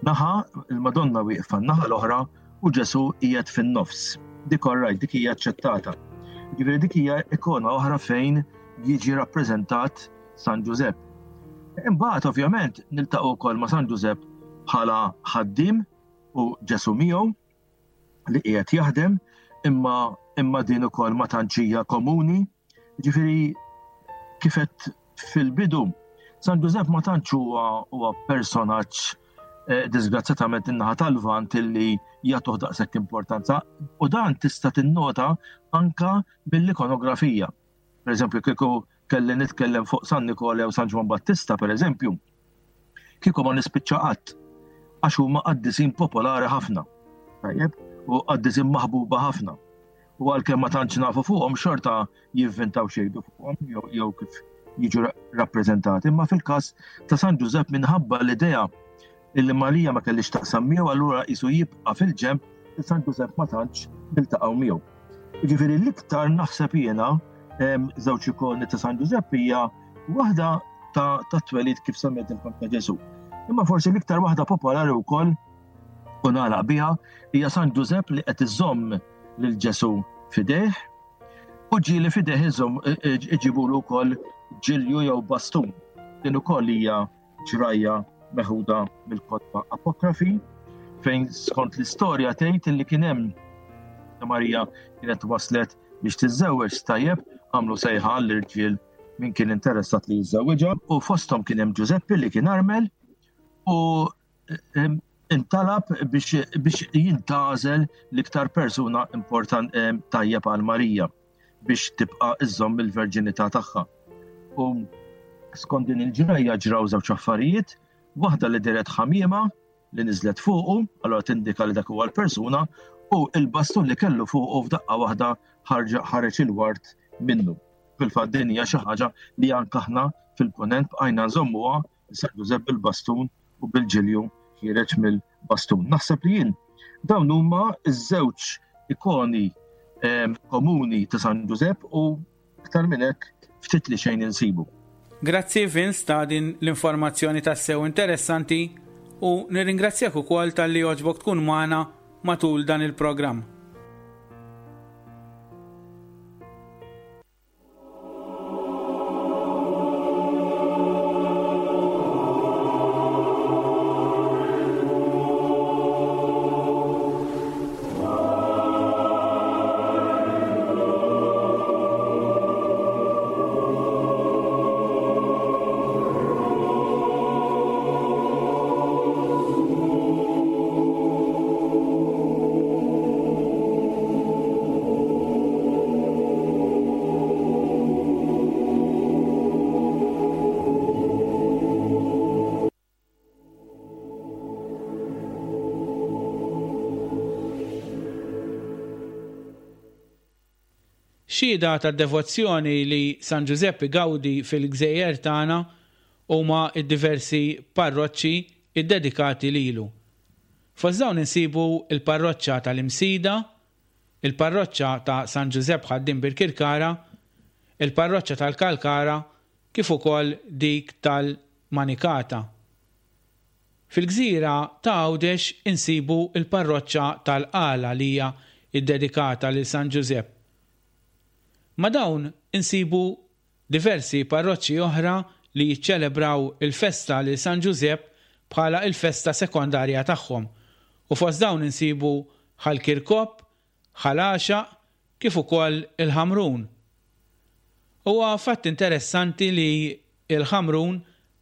[SPEAKER 6] naħa, il-Madonna wieqfa naħa l-oħra u Ġesu qiegħed fin-nofs. Dik orrajt, dik hija aċċettata. Ġifieri dik hija ikona oħra fejn jiġi rappreżentat San Ġużepp. Imbagħad ovvjament niltaqgħu wkoll ma' San Ġużepp bħala ħaddiem u Ġesu miegħu li qiegħed jaħdem imma imma din ukoll ma tantx hija komuni. Ġifieri kif qed fil-bidu San Ġużepp ma tantx huwa huwa personaġġ eh, disgrazzjatament in-naħa tal-Lvant illi jagħtuh daqshekk importanza u dan tista' tinnota anka mill-ikonografija. Per eżempju, kieku kelli nitkellem fuq San Nikola jew San Ġwan Battista, per eżempju, kieku ma nispiċċa qatt għax huma qaddisin popolari ħafna. Tajjeb, u qaddisin maħbuba ħafna. U għalkemm ma tantx nafu fuqhom xorta jivvintaw xejdu fuqhom jew kif jiġu rappreżentati. Imma fil-każ ta' San Ġużepp minħabba l-idea illi Marija ma kellix taqsam miegħu allura qisu jibqa' fil-ġenb li San Ġużepp ma tantx niltaqgħu miegħu. Jiġifieri l-iktar naħseb jiena żewġ ikoni ta' San Ġużepp hija waħda ta' twelid kif semmejtilkom ta' Ġesù. Imma forsi l-iktar waħda popolari wkoll u nagħlaq biha hija San Ġużepp li qed iżomm lil Ġesù f'idejh u ġieli f'idejh iżomm iġibulu wkoll ġilju jew bastun. Din ukoll hija ġrajja meħuda mill-kotba apokrafi fejn skont l-istorja tgħid li kien hemm Marija kienet waslet biex tiżżewweġ tajjeb għamlu sejħa għall-irġiel min kien interessat li jiżżewwiġha u fosthom kien hemm Ġużeppi li kien armel u intalab biex, biex jintgħażel l-iktar persuna important tajjeb għal Marija biex tibqa' iżżomm il-verġinità tagħha. U skont din il-ġrajja ġraw żewġ affarijiet, waħda li deret ħamiema li niżlet fuqu, allura tindika li dak huwa l-persuna, u il-bastun li kellu fuqu f'daqqa waħda ħareġ il-ward minnu. Fil-fatt din hija xi ħaġa li anke aħna fil-punent bqajna nżommuha San Ġużepp bil-bastun u bil-ġilju ħiereġ mill-bastun. Naħseb li jien dawn huma ż-żewġ ikoni ehm, komuni ta' San Ġużepp u iktar minn hekk ftit li xejn insibu.
[SPEAKER 3] Grazzi Vince ta' din l-informazzjoni tassew interessanti u nirringrazzjak ukoll talli għoġbok tkun magħna matul dan il-programm. Xhieda tad-devozzjoni li San Ġużepp igawdi fil-gżejjer tagħna huma d-diversi parroċċi ddedikati lilu. Fost dawn insibu l-parroċċa tal-Imsida, il-parroċċa ta' San Ġużepp Ħaddiem Birkirkara, il-parroċċa tal-Kalkara kif ukoll dik tal-Manikata. Fil-gżira ta' Għawdex insibu l-parroċċa tal-Qala li hija ddedikata lil San Ġużepp. Ma' dawn insibu diversi parroċċi oħra li jiċċelebraw il-festa lil San Ġużepp bħala l-festa sekondarja tagħhom u fost dawn insibu Ħal Kirkop, Ħal Għaxaq kif ukoll il-Ħamrun. Huwa fatt interessanti li l-Ħamrun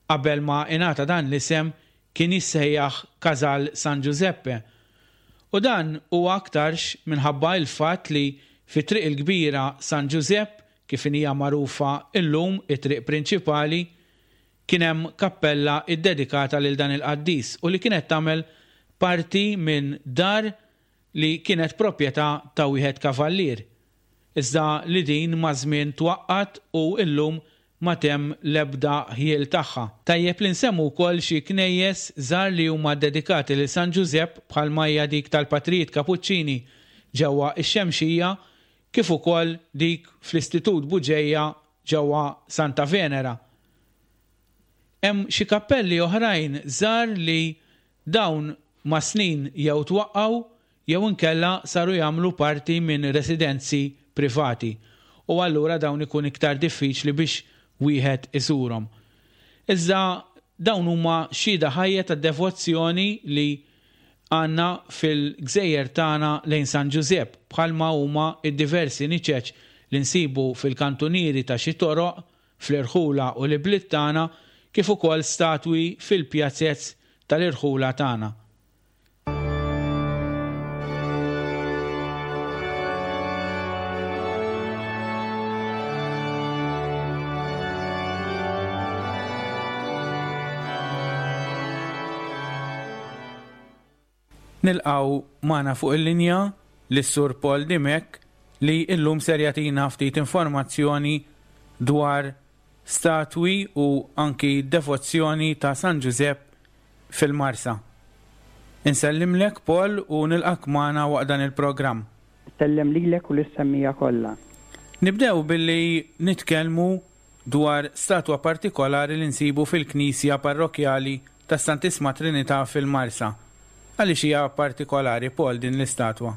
[SPEAKER 3] qabel ma ingħata dan l-isem kien jissejjaħ Casal San Giuseppe. U dan huwa aktarx minħabba il-fatt li fit-Triq il-Kbira San Ġużepp, kif inhija magħrufa illum it-triq prinċipali, kien hemm kappella ddedikata lil dan il-qaddis u li kienet tagħmel parti minn dar li kienet proprjetà ta' wieħed kavallier, iżda li din maż-żmien twaqqgħet u llum ma t'hemm l-ebda ħjiel tagħha. Tajjeb li nsemmu wkoll xi knejjes żgħar li huma ddedikati lil San Ġużepp bħalma hija dik tal-Patrijiet Kapuċċini ġewwa x-Xemxija kif ukoll dik fl-Istitut Buġeja ġewwa Santa Venera. Hemm xi kappelli oħrajn żgħar li Dawn mas-snin jew twaqqgħu jew inkella saru jagħmlu parti minn residenzi privati u allura dawn ikun iktar diffiċli biex wieħed iżurhom. Iżda dawn huma xhieda ħajja tad-devozzjoni li għandna fil-gżejjer tagħna lejn San Ġużepp bħalma huma d-diversi niċeċ li nsibu fil-kantunieri ta' xi toroq fl-irħula u l-ibliet tagħna kif ukoll statwi fil-pjazez tal-irħula tagħna. Nilqgħu magħna fuq il-linja lis-Sur Paul Dimech li illum ser jagħtina ftit informazzjoni dwar statwi u anki devozzjoni ta' San Ġużepp fil-Marsa. Insellimlek Paul u nilqgħek magħna waqt dan il-programm.
[SPEAKER 7] Insellem lilek u lis-semmiegħa kollha.
[SPEAKER 3] Nibdew billi nitkellmu dwar statwa partikolari li nsibu fil-knisja parrokkjali tas-Santissma Trinità fil-Marsa. Għaliex hija partikolari, Paul, din l-istatwa?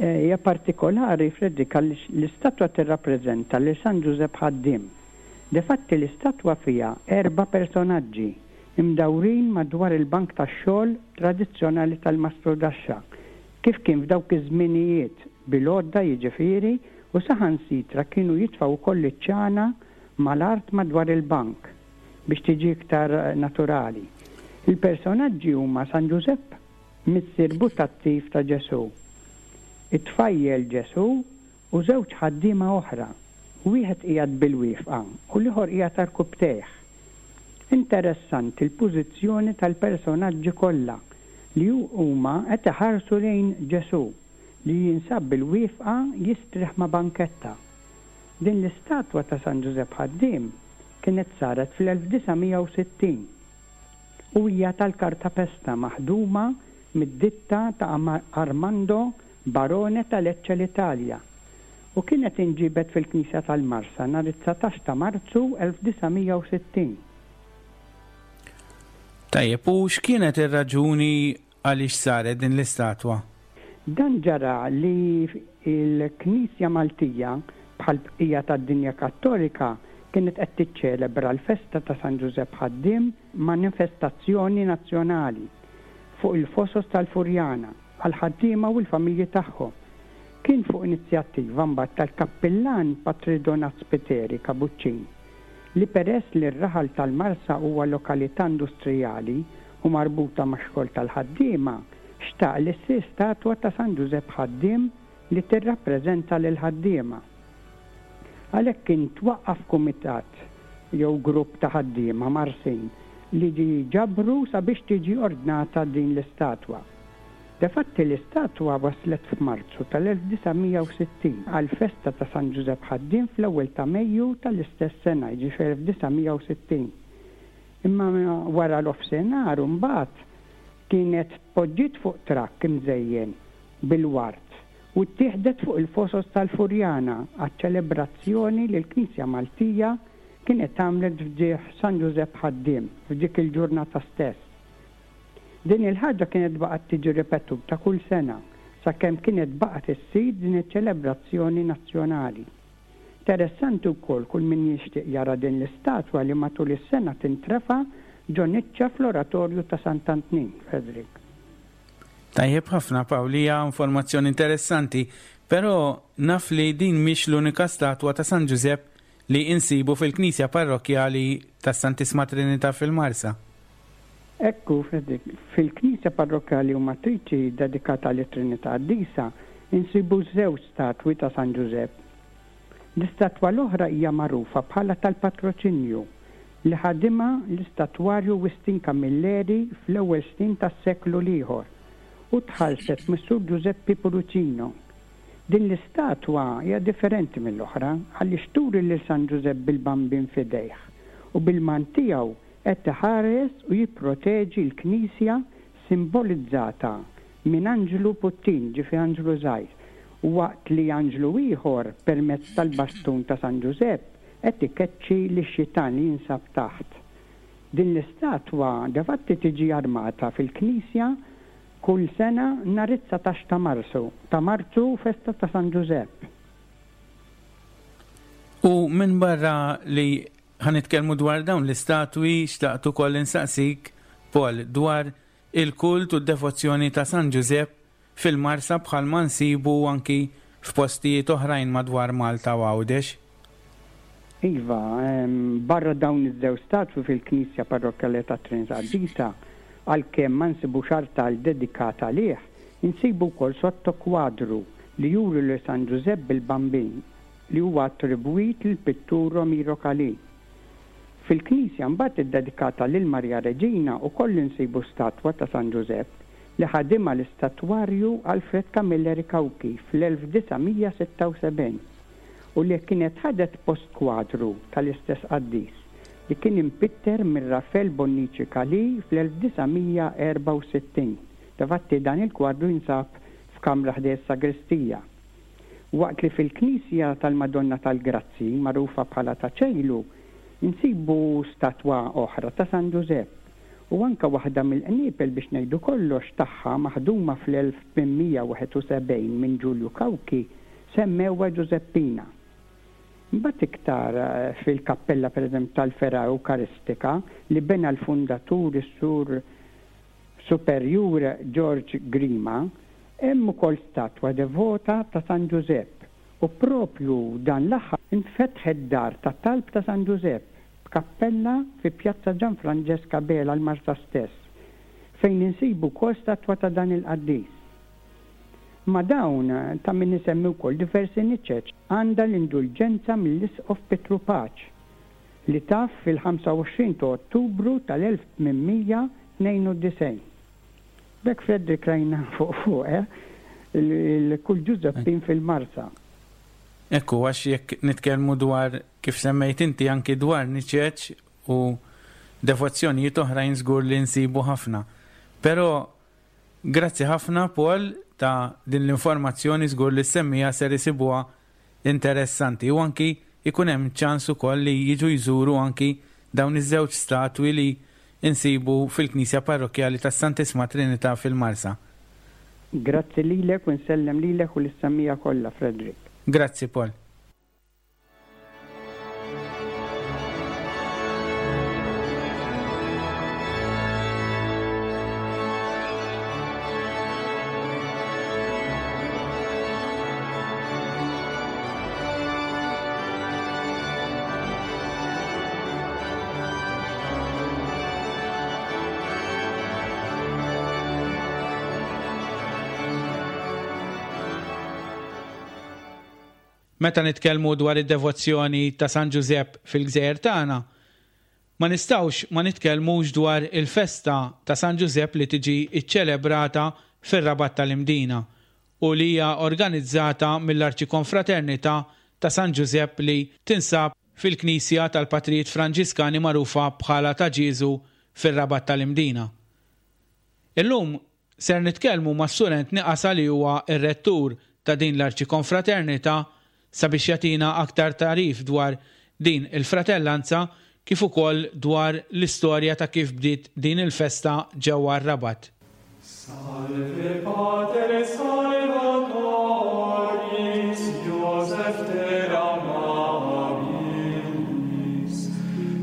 [SPEAKER 7] Hija partikolari, Frederick, għaliex l-istatwa tirrappreżenta lil San Ġużepp Ħaddiem. Difatti l-istatwa fiha erba' personaġġi imdawrin madwar il-bank tax-xogħol tradizzjonali tal-mastrudaxxa, kif kien f'dawk iż-żminijiet, bil-għodda jiġifieri, u saħansitra kienu jitfgħu wkoll iċ-ċana mal-art madwar il-bank biex tiġi iktar naturali. Il-personaġġi huma San Ġużepp, missier butattiv ta' Ġesù, it-tfajjel Ġesù u żewġ ħaddiema oħra, wieħed qiegħed bilwieqfa u l-ieħor qiegħed għarkupptejh. Interessanti l-pożizzjoni tal-personaġġi kollha li huma qed iħarsu lejn Ġesù. li jinsab bil-wieqfa jistrieħ ma' banketta. Din l-istatwa ta' San Ġużepp Ħaddiem kienet saret fl-1960 u hija tal-kartapesta maħduma mid-ditta ta' Armando Barone ta' Lecce l-Italja u kienet inġiebet fil-Knisja tal-Marsa nhar it-19 ta' Marzu 1960.
[SPEAKER 3] Tajjeb, u x'kienet ir-raġuni Għaliex saret din l-istatwa?
[SPEAKER 7] Dan ġara li l-Knisja Maltija, bħall-bqija tad-dinja Kattolika, kienet qed tiċċelebra l-festa ta' San Ġużepp Ħaddiem b'manifestazzjoni nazzjonali fuq il-Fosos tal-Furjana għall-ħaddiema u l-familji tagħhom. Kien fuq inizjattiva mbagħad tal-Kappillan Patri Donat Spiteri, Kabuċċin, li peress li r-raħal tal-Marsa huwa lokalità industrijali u marbuta max-xogħol tal-ħaddiema, xtaq li ssir statwa ta' San Ġużepp Ħaddiem li tirrappreżenta lill-ħaddiema. Għalhekk kien twaqqaf kumitat jew grupp ta' ħaddiema Marsin li ġabru sabiex tiġi ordnata din l-istatwa. Defatti l-istatwa waslet f'Marzu tal-1960 għall-festa ta' San Ġużepp Ħaddiem fl-ewwel ta' Mejju tal-istess sena, jiġifieri 1960. Imma wara nofsinhar imbagħad kienet tpoġġiet fuq trakk imżejjen bil-ward u ttieħdet fuq il-Fosos tal-Furjana għaċ-ċelebrazzjoni li l-Knisja Maltija kienet għamlet f'ġieħ San Ġużepp Ħaddiem f'dik il-ġurnata stess. Din il-ħaġa kienet baqgħet tiġi ripetuta kull sena sakemm kienet baqgħet issir din iċ-ċelebrazzjoni nazzjonali. Interessanti wkoll kull min jixtieq jara din l-istatwa li matul is-sena tintrefa' ġo niċċa fl-Oratorju ta' Sant'Antnin, Frederick.
[SPEAKER 3] Tajjeb ħafna Pawl, hija informazzjoni interessanti, però naf li din mhix l-unika statwa ta' San Ġużepp li insibu fil-Knisja Parrokkjali tas-Santissma Trinità fil-Marsa.
[SPEAKER 7] Hekk hu, Frederick. Fil-Knisja Parrokkjali u Matriċi ddedikata lit-Trinità Qaddisa insibu żewġ statwi ta' San Ġużepp. L-istatwa l-oħra hija magħrufa bħala tal-Patroċinju, li ħadimha l-istatwarju Wistin Camilleri fl-ewwel snin tas-seklu l-ieħor u tħallset mis-Sur Ġużeppi Pullicino. Din l-istatwa hija differenti mill-oħra għaliex turi lil San Ġużepp bil-Bambin f'idejh u bil-mant tiegħu qed iħares u jipproteġi l-Knisja simbolizzata minn anġlu puttin, ġifieri anġlu żgħir, waqt li anġlu ieħor, permezz tal-bastun ta' San Ġużepp, qed ikeċċi lix-xitan li jinsab taħt. Din l-istatwa defatti tiġi armata fil-knisja kull sena nhar it-dsatax ta' Marsu, ta' Marzu, festa ta' San Ġużepp.
[SPEAKER 3] U minbarra li Ħa nitkellmu dwar dawn l-istatwi, xtaqt ukoll insaqsik, Paul, dwar il-kult u d-devozzjoni ta' San Ġużepp fil-Marsa bħalma nsibu anki f'postijiet oħrajn madwar Malta u Għawdex.
[SPEAKER 7] Iva, barra dawn iż-żewġ statwi fil-Knisja Parrokkjali tat-Trinità Qaddisa, għalkemm ma nsibux artal dedikat għalih, insibu wkoll sottokwadru li juri lil San Ġużepp bil-Bambin. li huwa attribwit lill-pittur Romiro Calì. Fil-knisja mbagħad iddedikata lil Marija Reġina ukoll insibu statwa ta' San Ġużepp li ħadimha l-istatwarju Alfred Camilleri Cauchi fl-1976 u li kienet ħadet post kwadru tal-istess qaddis li kien impitter minn Rafel Bonnici Calì fl-1964. Difatti dan il-kwadru jinsab f'kamra ħdejn is-sagristija. Waqt li fil-knisja tal-Madonna tal-Grazzi, magħrufa bħala Ta' Ċejlu, insibu statwa oħra ta' San Ġużepp u anke waħda mill-qniepel biex ngħidu kollox tagħha maħduma fl-1871 minn Ġulju Cauchi semmewha Ġużeppina. Imbagħad iktar fil-kappella pereżempju tal-Fergħa Ewkaristika li bena l-fundatur is-Sur Superjur George Grima, hemm ukoll statwa devota ta' San Ġużepp u proprju dan l-aħħar infetħet dar ta' talb ta' San Ġużepp b'kappella fi Pjazza Ġan Franġesk Abela l-Marsa stess, fejn insibu wkoll statwa ta' dan il-qaddis. Ma' dawn ta' min isemmi wkoll diversi niċeċ għandha l-indulġenza mill-Isqof Pietru Paċ, li taf fil-25 ta' Ottubru tal-1892. B'hekk Frederick rajna fuq fuq, eh, il-kull Ġużeppin fil-Marsa.
[SPEAKER 3] Hekk hu, għax jekk nitkellmu dwar, kif semmejt inti, anki dwar niċeċ u devozzjonijiet oħrajn żgur li nsibu ħafna. Però grazzi ħafna Paul ta' din l-informazzjoni żgur li s-semmiegħa ser isibuha interessanti u anki jkun hemm ċans ukoll li jiġu jżuru anki dawn iż-żewġ statwi li nsibu fil-Knisja Parrokkjali tas-Santissma Trinità fil-Marsa.
[SPEAKER 7] Grazzi lilek u nsellem lilek u lis-semmiegħa kollha, Frederick.
[SPEAKER 3] Grazzi Paul. Meta nitkellmu dwar id-devozzjoni ta' San Ġużepp fil-gżejjer tagħna, Ma nistgħux ma nitkellmux dwar il-festa ta' San Ġużepp li tiġi ċċelebrata fir-Rabat tal-Imdina u li hija organizzata mill-Arċikonfraternità ta' San Ġużepp li tinsab fil-Knisja tal-Patrijiet Franġiskani magħrufa bħala Ta' Ġieżu fir-Rabat tal-Imdina. Illum ser nitkellmu mas-Sur Anthony Qasa li huwa r-Rettur ta' din l-Arċikonfraternità sabiex jagħtina aktar tagħrif dwar din il-fratellanza kif ukoll dwar l-istorja ta' kif bdiet din il-festa ġewwa r-Rabat.
[SPEAKER 8] Salve Pater Salvatoris, Joseph ter amabilis,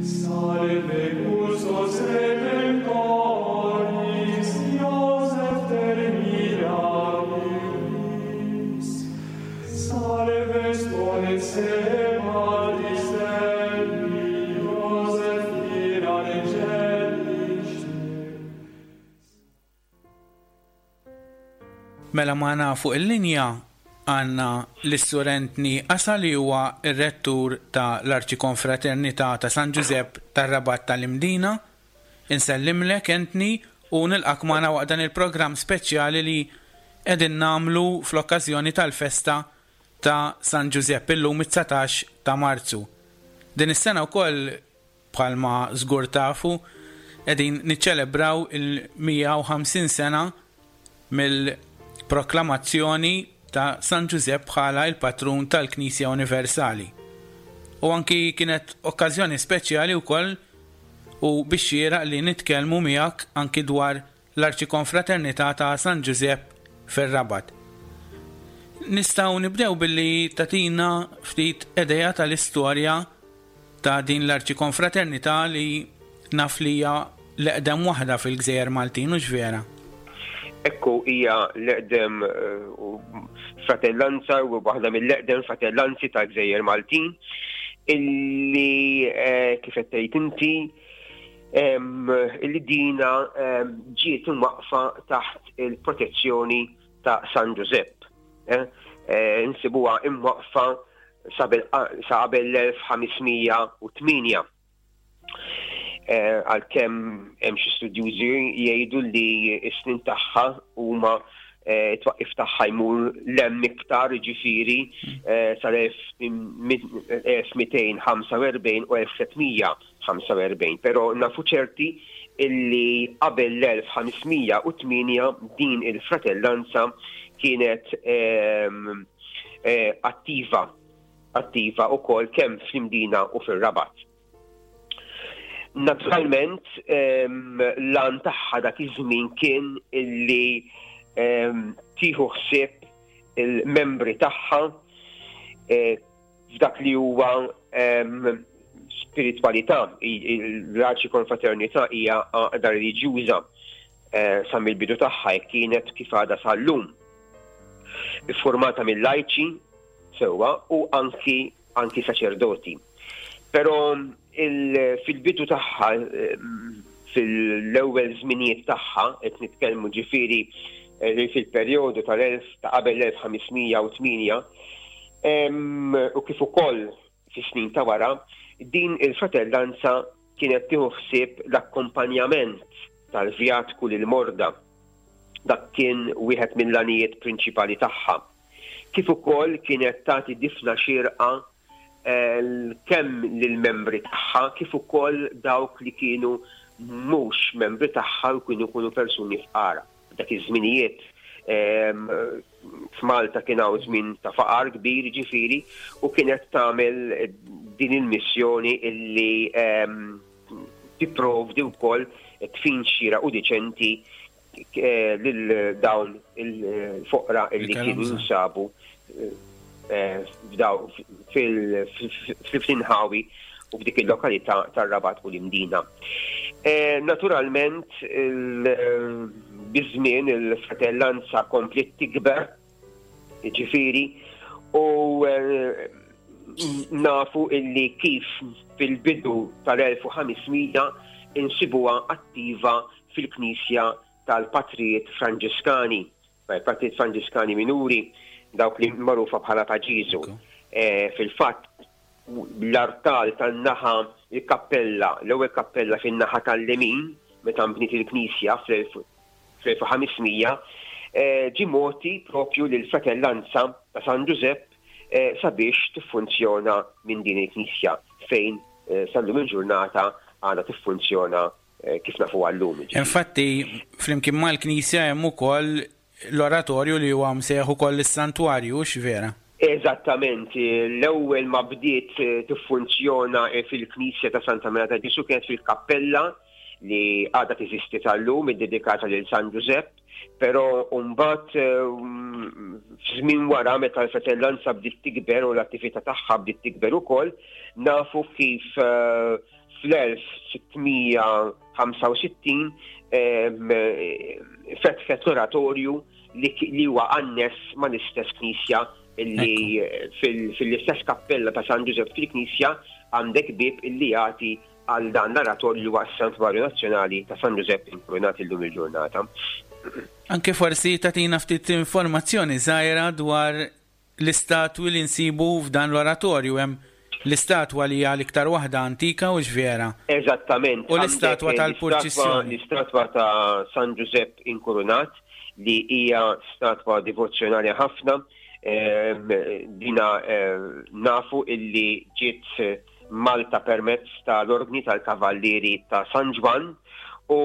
[SPEAKER 8] Salve custos redemptoris, Joseph ter mirabilis, Salve spons patris Dei, Joseph vir angelice.
[SPEAKER 3] Mela magħna fuq il-linja għandna lis-Sur Anthony Asa li huwa r-Rettur ta' l-Arċikonfraternità ta' San Ġużepp tar-Rabat tal-Imdina. Insellimlek Anthony u nilqgħek magħna waqt dan il-programm speċjali li qegħdin nagħmlu fl-okkażjoni tal-festa ta' San Ġużepp illum it-19 ta' Marzu. Din is-sena wkoll Bħalma żgur tafu, qegħdin niċċelebraw il-150 sena mill-proklamazzjoni ta' San Ġużepp bħala l-patrun tal-Knisja Universali. U anki kienet okkażjoni speċjali wkoll u bix-xieraq li nitkellmu miegħek anki dwar l-Arċikonfraternità ta' San Ġużepp fir-Rabat. Nistgħu nibdew billi tagħtina ftit idea tal-istorja ta' din l-Arċikonfraternità li naf li hija l-eqdem waħda fil-Gżejjer Maltin, hux vera?
[SPEAKER 9] Ekku hija l-eqdem fratellanza u waħda mill-eqdem fratellanzi tal-Gżejjer Maltin illi kif qed tgħid inti li dina ġiet imwaqqfa taħt il-protezzjoni ta' San Ġużepp. Eh, eh, nsibuha imwaqqfa sa qabel l-1508. Eh, għalkemm hemm xi studjużi jgħidu li s-snin tagħha huma twaqqif tagħha jmur l-hemm iktar ġifieri sal-1245 u 1300 45, però nafu ċerti illi qabel l-1508 din il-fratellanza kienet ehm, eh, attiva attiva wkoll kemm fl-Imdina u fir-Rabat. Naturalment, ehm, l-għan tagħha dak iż-żmien kien illi ehm, tieħu ħsieb il-membri tagħha eh, F'dak li huwa spiritwalità, l-Arċi Konfraternità hija għaqda reliġjuża eh, sa mill-bidu tagħha kienet kif għadha sal-lum. Iffurmata mill-lajċi sewwa u anki anki saċerdoti. Però fil-bidu tagħha fil-ewwel żminijiet tagħha qed nitkellmu ġifieri eh, fil-perjodu tal-1000 ta' qabel l-1508 U kif ukoll fis-snin ta' wara, din il-fratellanza kienet tieħu ħsieb l-akkompanjament tal-vjatku lill-morda. Dak kien wieħed mill-għanijiet prinċipali tagħha. Kif ukoll kienet tagħti difna xierqa kemm lill-membri tagħha kif ukoll dawk li kienu mhux membri tagħha u kienu jkunu persuni fqar. Dak iż-żminijiet f'Malta kien hawn żmien ta' faqar kbir ġifieri u kienet tagħmel din il-missjoni illi tipprovdi wkoll tfin xieraq u diċenti eh, lil dawn il-foqra illi kienu jinsabu eh, fil-inħawi u f'dik il-lokalità tar-Rabat u l-Imdina. Eh, naturalment, biż-żmien il-fratellanza kompliet tikber, ġifieri, u eh, nafu illi kif fil-bidu tal-1500 insibuha attiva fil-Knisja tal-Patrijiet Franġiskani. Patrijiet Franġiskani Minuri, dawk li magħrufa bħala ta' Ġieżu. Eh, fil-fatt, l-artal tan-naħa il-kappella, l-ewwel kappella fin-naħa tal-lemin, meta nbniet il-knisja fl-1500, ġie mogħti propju lill-Fratellanza ta' San Ġużepp sabiex tiffunzjona minn din il-knisja fejn sal-lum il-ġurnata għadha tiffunzjona kif nafuha llum.
[SPEAKER 3] Infatti, flimkien mal-knisja hemm ukoll l-oratorju li huwa msejjaħ ukoll is-santwarju, hux vera?
[SPEAKER 9] Eżattament, l-ewwel ma bdiet tiffunzjona fil-knisja ta' Santa Marija ta' Ġesù kienet fil-kappella li għadha teżisti tal-lum, iddedikata lil San Ġużepp, però mbagħad f'żmien wara meta l-fratellanza bdiet tikber u l-attività tagħha bdiet tikber ukoll, nafu kif fl-1665 fetħet l-oratorju li huwa anness mal-istess knisja li fil-istess kappella ta' San Ġużepp fil-knisja għandek bieb illi jagħti għal dan l-aratorju li huwa s-Santwarju Nazzjonali ta' San Ġużepp Inkurunat illum il-ġurnata.
[SPEAKER 3] Anke forsi tagħtina ftit informazzjoni żgħira dwar l-istatwi li nsibu f'dan l-oratorju. Hemm l-istatwa li hija l-iktar waħda antika hux vera?
[SPEAKER 9] Eżattament.
[SPEAKER 3] U l-istatwa tal-purċissjoni.
[SPEAKER 9] L-istatwa ta' San Ġużepp Inkurunat li hija statwa divozzjonali ħafna. Dina nafu illi ġiet Malta permezz ta' l-Ordni tal-Kavallieri ta' San Ġwann u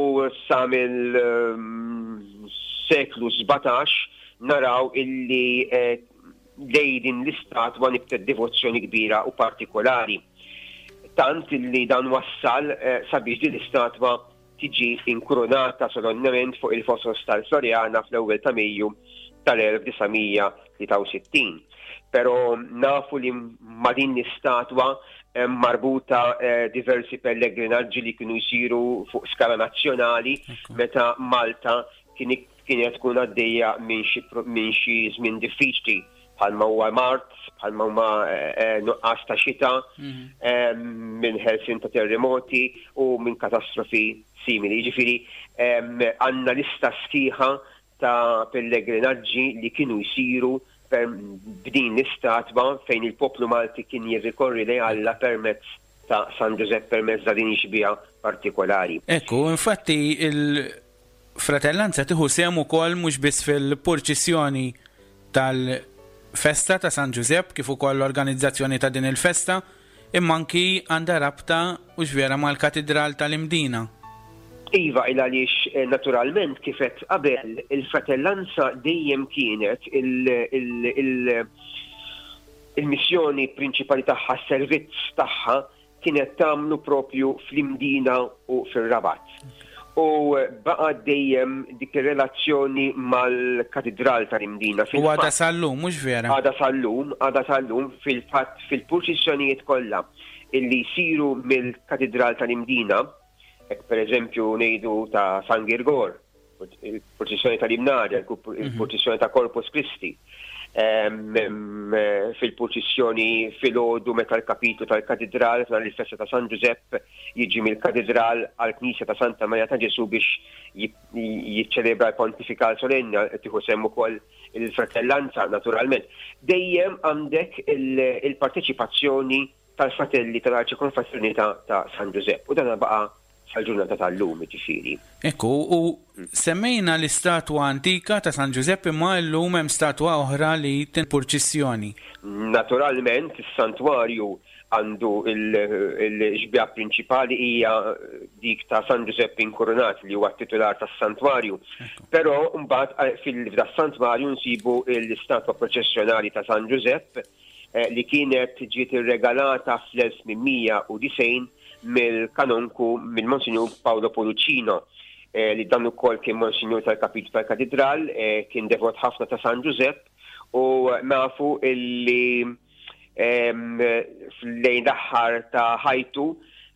[SPEAKER 9] sa mill-seklu 17 naraw illi lejn din l-istatwa nibtet devozzjoni kbira u partikolari. Tant illi dan wassal sabiex din l-istatwa tiġi inkurunata solennement fuq il-Fosos tal-Floriana fl-ewwel ta' Mejju tal-1963. Però nafu li ma' din l-istatwa hemm marbuta eh, diversi pellegrinaġġi li kienu jsiru fuq skala nazzjonali meta Malta kienet tkun għaddejja minn xi żmien diffiċli bħalma huwa mart, bħalma huma eh, eh, nuqqas ta' xita, mhm. minn ħelsin ta' terremoti u minn katastrofi simili. Jiġifieri għandna lista sħiħa ta' pellegrinaġġi li kienu jsiru b'din l-istatwa fejn il-poplu Malti kien jirrikorri lejn Alla permezz ta' San Ġużepp permezz ta' din ix-xbieha partikolari.
[SPEAKER 3] Ekku, infatti il-Fratellanza tieħu sehem ukoll mhux biss fil-purċissjoni tal-festa ta' San Ġużepp kif ukoll l-organizzazzjoni ta' din il-festa, Imma anki għandha rabta, hux vera, mal-Katidral tal-Imdina.
[SPEAKER 9] Iva, il għaliex naturalment kif għedt qabel, il-fratellanza dejjem kienet il-missjoni prinċipali tagħha, s-servizz tagħha kienet tagħmlu propju fl-Imdina u fir-Rabat. U baqgħet dejjem dik ir-relazzjoni mal-Katidral tal-Imdina.
[SPEAKER 3] U għadha sal-lum, mhux vera?
[SPEAKER 9] Għadha sal-lum, għadha sal-lum, fil-fatt fil-purċissjonijiet kollha illi jsiru mill-Katidral tal-Imdina, hekk pereżempju ngħidu ta' San Girgor, il-purċissjoni tal-Imnarja, il-purċissjoni ta' Corpus Christi, fil-purċissjoni filgħodu meta l-kapitlu tal-Katidral f'nhar il-festa ta' San Ġużepp jiġi mill-Katidral għall-Knisja ta' Santa Marija ta' Ġesù biex jiċċelebra l-Pontifikal Solenni, tieħu sehem ukoll il-fratellanza naturalment. Dejjem għandek il-parteċipazzjoni tal-fratelli tal-Arċikonfraternità ta' San Ġużepp u dan baqa' sal-ġurnata tal-lum, jiġifieri.
[SPEAKER 3] Ekku, u semmejna l-istatwa antika ta' San Ġużepp imma llum hemm statwa oħra li tinpurċissjoni.
[SPEAKER 9] Naturalment, is-santwarju għandu l-xbieha prinċipali hija dik ta' San Ġużepp Inkurunat li huwa t-titular tas-santwarju. Però mbagħad fil-santwarju nsibu l-istatwa proċessjonali ta' San Ġużepp li kienet ġiet irregalata fl-1890 mill-kanonku mill-Monsinjur Paolo Poluccino eh, li dan ukoll kien Monsinjur tal-Kapitlu tal-Katidral, eh, kien devot ħafna ta' San Ġużepp u nafu illi lejn l-aħħar ta' ħajtu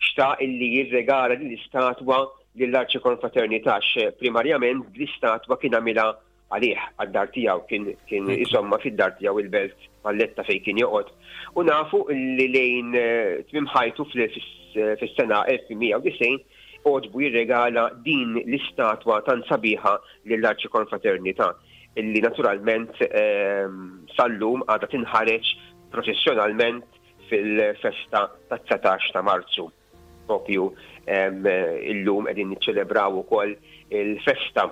[SPEAKER 9] xtaq illi jirregala din l-istatwa lill-Arċikonfraternità primarjament l-istatwa kien għamilha għalih, għad-dar tiegħu, kien kien iżommha fid-dar tiegħu il-Belt Valletta fejn kien joqgħod. U nafu li lejn tmiem ħajtu fis-sena 1890 għoġbu jirregala din l-istatwa tant sabiħa lill-Arċikonfraternità illi naturalment sal-lum għadha tinħareġ proċessjonalment fil-festa tat-19 ta' Marzu. Propju illum qegħdin niċċelebraw ukoll il-festa.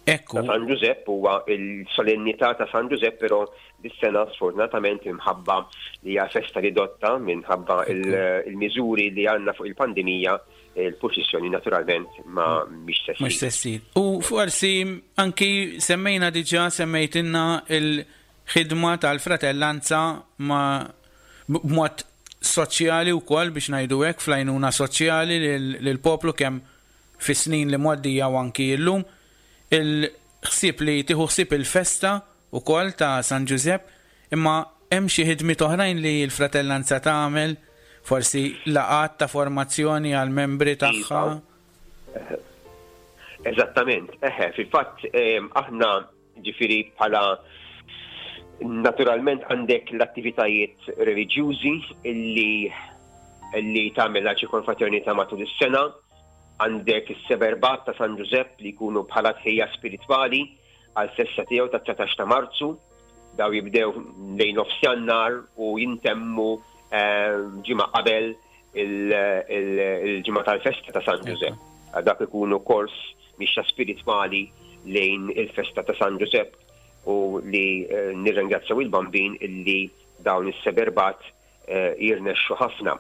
[SPEAKER 3] Ekku.
[SPEAKER 9] Ta' San Ġużepp huwa l-solennità ta' San Ġużepp però dis-sena sfortunatament minħabba li hija festa ridotta minħabba il-miżuri li għandna fuq il-pandemija il-purċissjoni naturalment ma mhix se ssir.
[SPEAKER 3] Mhux se ssir. U forsi anki semmejna diġà semmejtilna il-ħidma tal-fratellanza ma b'mod soċjali wkoll biex ngħidu hekk fl-għajnuna soċjali lill-poplu kemm fis-snin li mgħoddija u anki illum, il-ħsieb li tieħu ħsieb il-festa wkoll ta' San Ġużepp, imma hemm xi ħidmiet oħrajn li l-Fratellanza tagħmel, forsi laqgħat ta' formazzjoni għall-membri tagħha?
[SPEAKER 9] Iva. Eżattament, eħe, fil-fatt aħna Ġifieri bħala naturalment għandek l-attivitajiet reliġjużi illi li tagħmel l-Arċikonfraternità matul is-sena, għandek is-seberbat ta' San Ġużepp li jkunu bħala tħejja spiritwali għal festa tiegħu ta' 19 ta' Marzu, daw jibdew lejn nofs Jannar u jintemmu eh, ġimgħa qabel il-ġimgħa tal-festa ta' San Ġużepp. Dak ikunu kors mixja spiritwali lejn il-festa ta' San Ġużepp u li eh, nirringrazzjaw il-Bambin illi dawn is-seberbat eh, jirnexxu ħafna.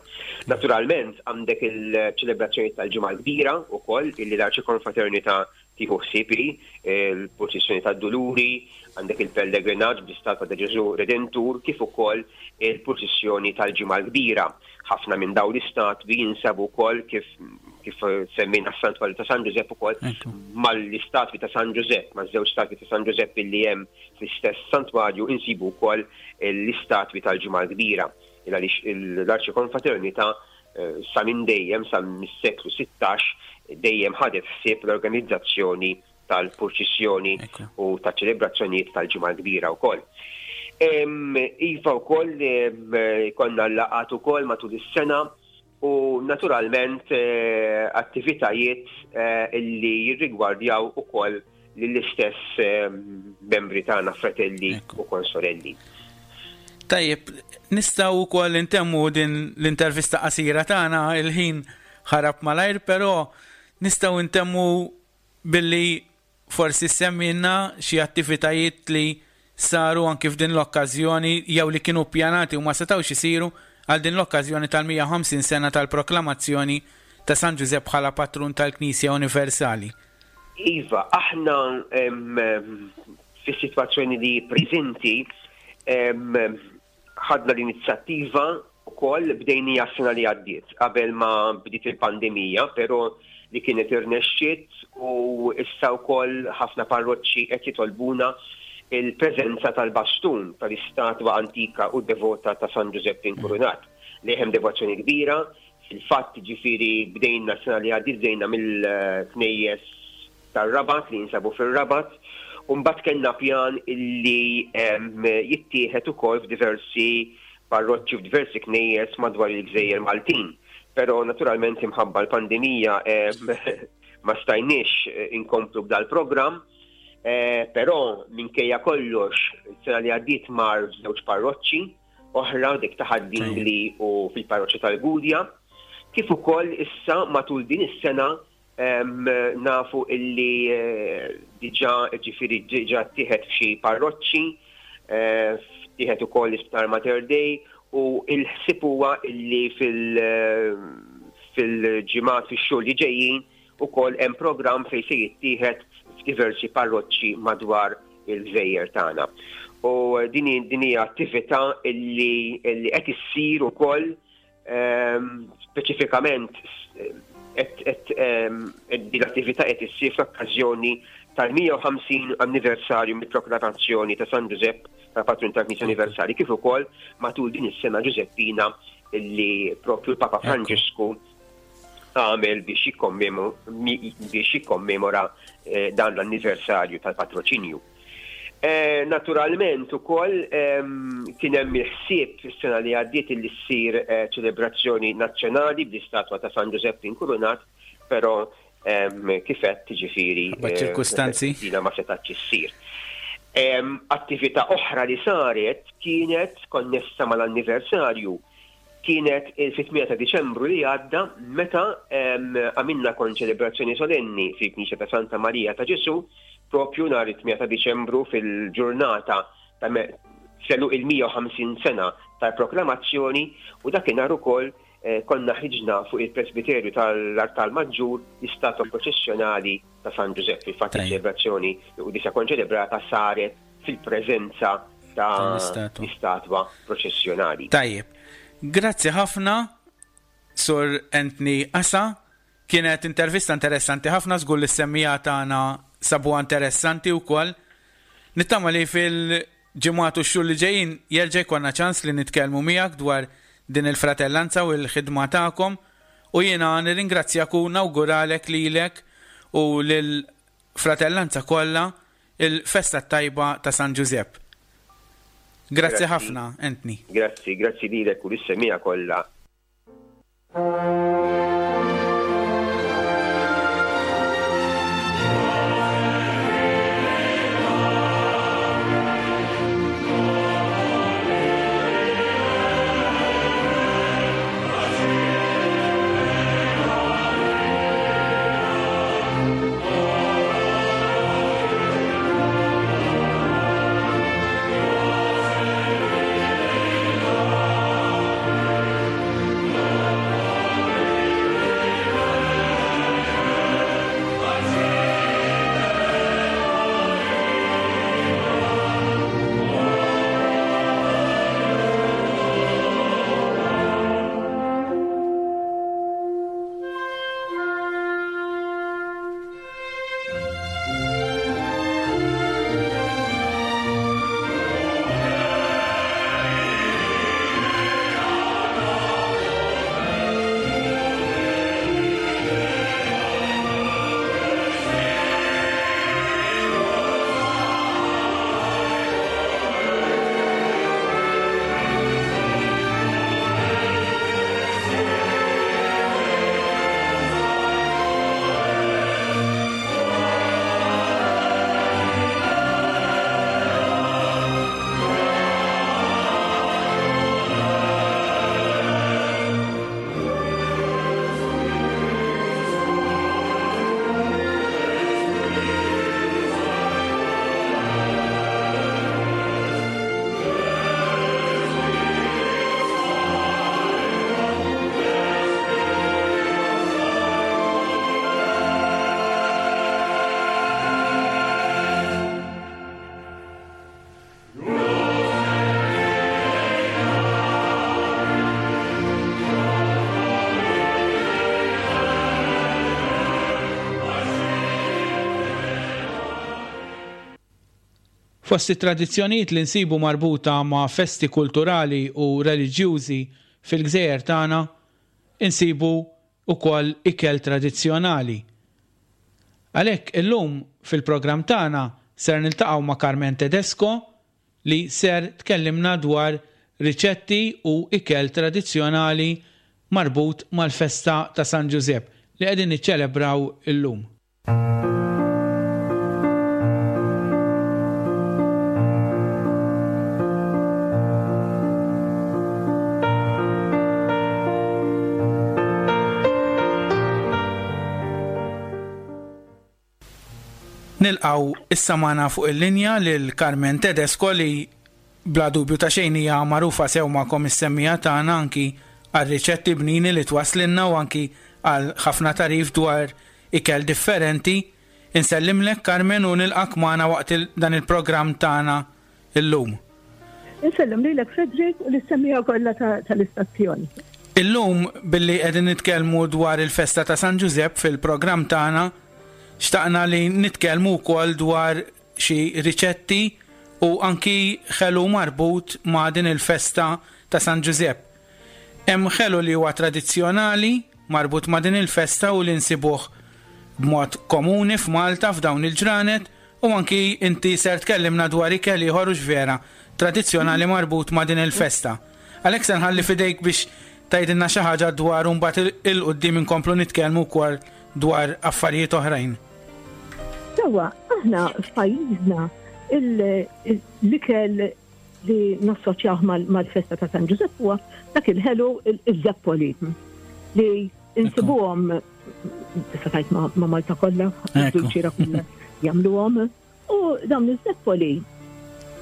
[SPEAKER 9] Naturalment għandek il-ċelebrazzjoni tal-Ġimgħa l-Kbira wkoll illi l-Arċikonfraternità tieħu ħsieb hi, il-purċissjoni tad-Duluri, għandek il-pellegrinaġġ bl-istatwa ta' Ġesù Redentur kif ukoll il-purċissjoni tal-Ġimgħa l-Kbira. Ħafna minn dawn l-istatwi jinsabu wkoll kif kif semmejna s-Santwarju ta' San Ġużepp ukoll mal-istatwi ta' San Ġużepp, maż-żewġ statwi ta' San Ġużepp illi hemm fl-istess santwarju insibu wkoll l-istatwi tal-Ġimgħa l-Kbira. Il għaliex l-Arċikonfraternità eh, sa minn dejjem, sa mis-seklu 16, dejjem ħadet ħsieb l-organizzazzjoni tal-purċissjoni u ta' ċelebrazzjonijiet tal-Ġimgħa l-Kbira wkoll. Iva wkoll konna laqat ukoll matul is-sena u naturalment eh, attivitajiet eh, illi jirrigwardjaw ukoll lill-istess eh, membri tagħna fratelli u konsorelli.
[SPEAKER 3] Tajjeb, nistgħu wkoll intemmu din l-intervista qasira tagħna il-ħin ħarab malajr, però nistgħu ntemmu billi forsi ssemmilna xi attivitajiet li saru anki f'din l-okkażjoni jew li kienu ppjanati u ma setgħux isiru għal din l-okkażjoni tal-150 sena tal-proklamazzjoni ta' San Ġużepp bħala Patrun tal-Knisja Universali.
[SPEAKER 9] Iva, aħna fis-sitwazzjoni li preżenti Ħadna l-inizjattiva wkoll bdejnija s-sena li għaddiet qabel ma bdiet il-pandemija, però li kienet irnexxiet u issa wkoll ħafna parroċċi qed jitolbuna il-preżenza tal-bastun tal-istatwa antika u devota ta' San Ġużepp Inkurunat li hemm devozzjoni kbira Fil-fatt, jiġifieri bdejna s-sena li għaddiet bdejna mill-knejjes tar-Rabat li jinsabu fir-Rabat u mbagħad kellna pjan illi jittieħed ukoll f'diversi parroċċi u f'diversi knejjes madwar il-gżejjer Maltin. Però naturalment imħabba l-pandemija ma stajniex inkomplu b'dal-programm. Eh, però minkejja kollox, sena li għaddiet mar f'żewġ parroċċi, oħra dik ta' Ħad-Dingli u fil-parroċċa tal-Gudja, kif ukoll issa matul din is-sena nafu illi eh, diġà ġifieri diġà ttieħed f'xi parroċċi, eh, ttieħed ukoll l-Isptar Mater Dei u l-ħsieb huwa illi fil- eh, fil-ġimgħat fix-xhur li ġejjin Ukoll hemm programm fejn se jittieħed f'diversi parroċċi madwar il-gżejjer tagħna. U din din hija attività li qed issir ukoll ehm, speċifikament qed ehm, din l-attività qed issir fl-okkażjoni tal-150 anniversarju mill-proklamazzjoni ta' San Ġużepp ta' Patrun tal-Knisja Universali kif ukoll matul din is-sena Ġużeppina li propju l-Papa Franġisku għamel biex jikkommemora eh, dan l-anniversarju tal-patroċinju. Eh, naturalment ukoll ehm, kien hemm il-ħsieb fis-sena li għaddiet li ssir eh, ċelebrazzjoni nazzjonali bl-istatwa ta' San Ġużepp Inkurunat, però ehm, kif qed ġifieri
[SPEAKER 3] ċirkustanzi
[SPEAKER 9] dina ma setgħetx issir. Ehm, attività oħra li saret kienet konnessa mal-anniversarju Kienet il-fit-8 ta' Diċembru li għadda meta għamilna konċelebrazzjoni solenni fil-Knisja ta' Santa Marija ta' Ġesù. Propju nhar it-8 ta' Diċembru fil-ġurnata ta' f'għeluq il-150 sena tal-proklamazzjoni u dakinhar ukoll konna ħriġna fuq il-presbiterju tal-artal maġġur l-istatwa proċessjonali ta' San Ġużepp. Fil-fatt iċ-ċelebrazzjoni, il-quddiesa konċelebrata saret fil-preżenza ta' l-istatwa proċessjonali.
[SPEAKER 3] Tajjeb. Grazzi ħafna Sur Anthony Asa. Kienet intervista interessanti ħafna, żgur li s-semmiegħa tagħna sabuha interessanti wkoll. Nittama li fil-ġimgħat u x-xhur li ġejjin jerġa' jkollna ċans li nitkellmu miegħek dwar din il-fratellanza u l-ħidma tagħkom u jiena nirringrazzjak u nawguralek lilek u lill-fratellanza kollha il-festa t-tajba ta' San Ġużepp. Grazzi ħafna, Anthony.
[SPEAKER 9] Grazzi, grazzi lilek u lis-semmiegħa kollha.
[SPEAKER 3] Fost it-tradizzjonijiet li nsibu marbuta ma' festi kulturali u reliġjużi fil-gżejjer tagħna, insibu wkoll ikel tradizzjonali. Għalhekk illum fil-programm tagħna ser niltaqgħu ma' Carmen Tedesco li ser tkellimna dwar riċetti u ikel tradizzjonali marbut mal-festa ta' San Ġużepp li qegħdin niċċelebraw illum. Nilqgħu issa magħna fuq il-linja lil Carmen Tedesco li bla dubju ta' xejn hija magħrufa sew magħkom is-semmiegħa tagħna anki għar-riċetti bnini li twasslilna u anki għal ħafna tagħrif dwar ikel differenti. Insellimlek Carmen u nilqgħek magħna waqt dan il-programm tagħna illum.
[SPEAKER 10] Insellem lilek Frederick u lis-semmiegħa kollha tal-istazzjon.
[SPEAKER 3] Illum billi qegħdin nitkellmu dwar il-festa ta' San Ġużepp fil-programm tagħna, xtaqna li nitkellmu wkoll dwar xi riċetti u anki ħelu marbut ma' din il-festa ta' San Ġużepp. Hemm ħelu li huwa tradizzjonali marbut ma' din il-festa u li nsibuh b'mod komuni f'Malta f'dawn il-ġranet u anki inti ser tkellimna dwar ikel ieħor hux vera, tradizzjonali marbut ma' din il-festa. Għalhekk se nħalli f'idejk biex tgħidilna xi ħaġa dwaru mbagħad 'il quddiem inkomplu nitkellmu wkoll dwar affarijiet oħrajn.
[SPEAKER 10] Sewwa, aħna f'pajjiżna l-ikel li nassoċjawh mal-festa ta' San Ġużepp huwa dak il-ħelu iż-żeppoli li insibuhom tista' tgħid ma' Malta kollha, il-ċira kollha jagħmluhom. U dawn iż-zeppoli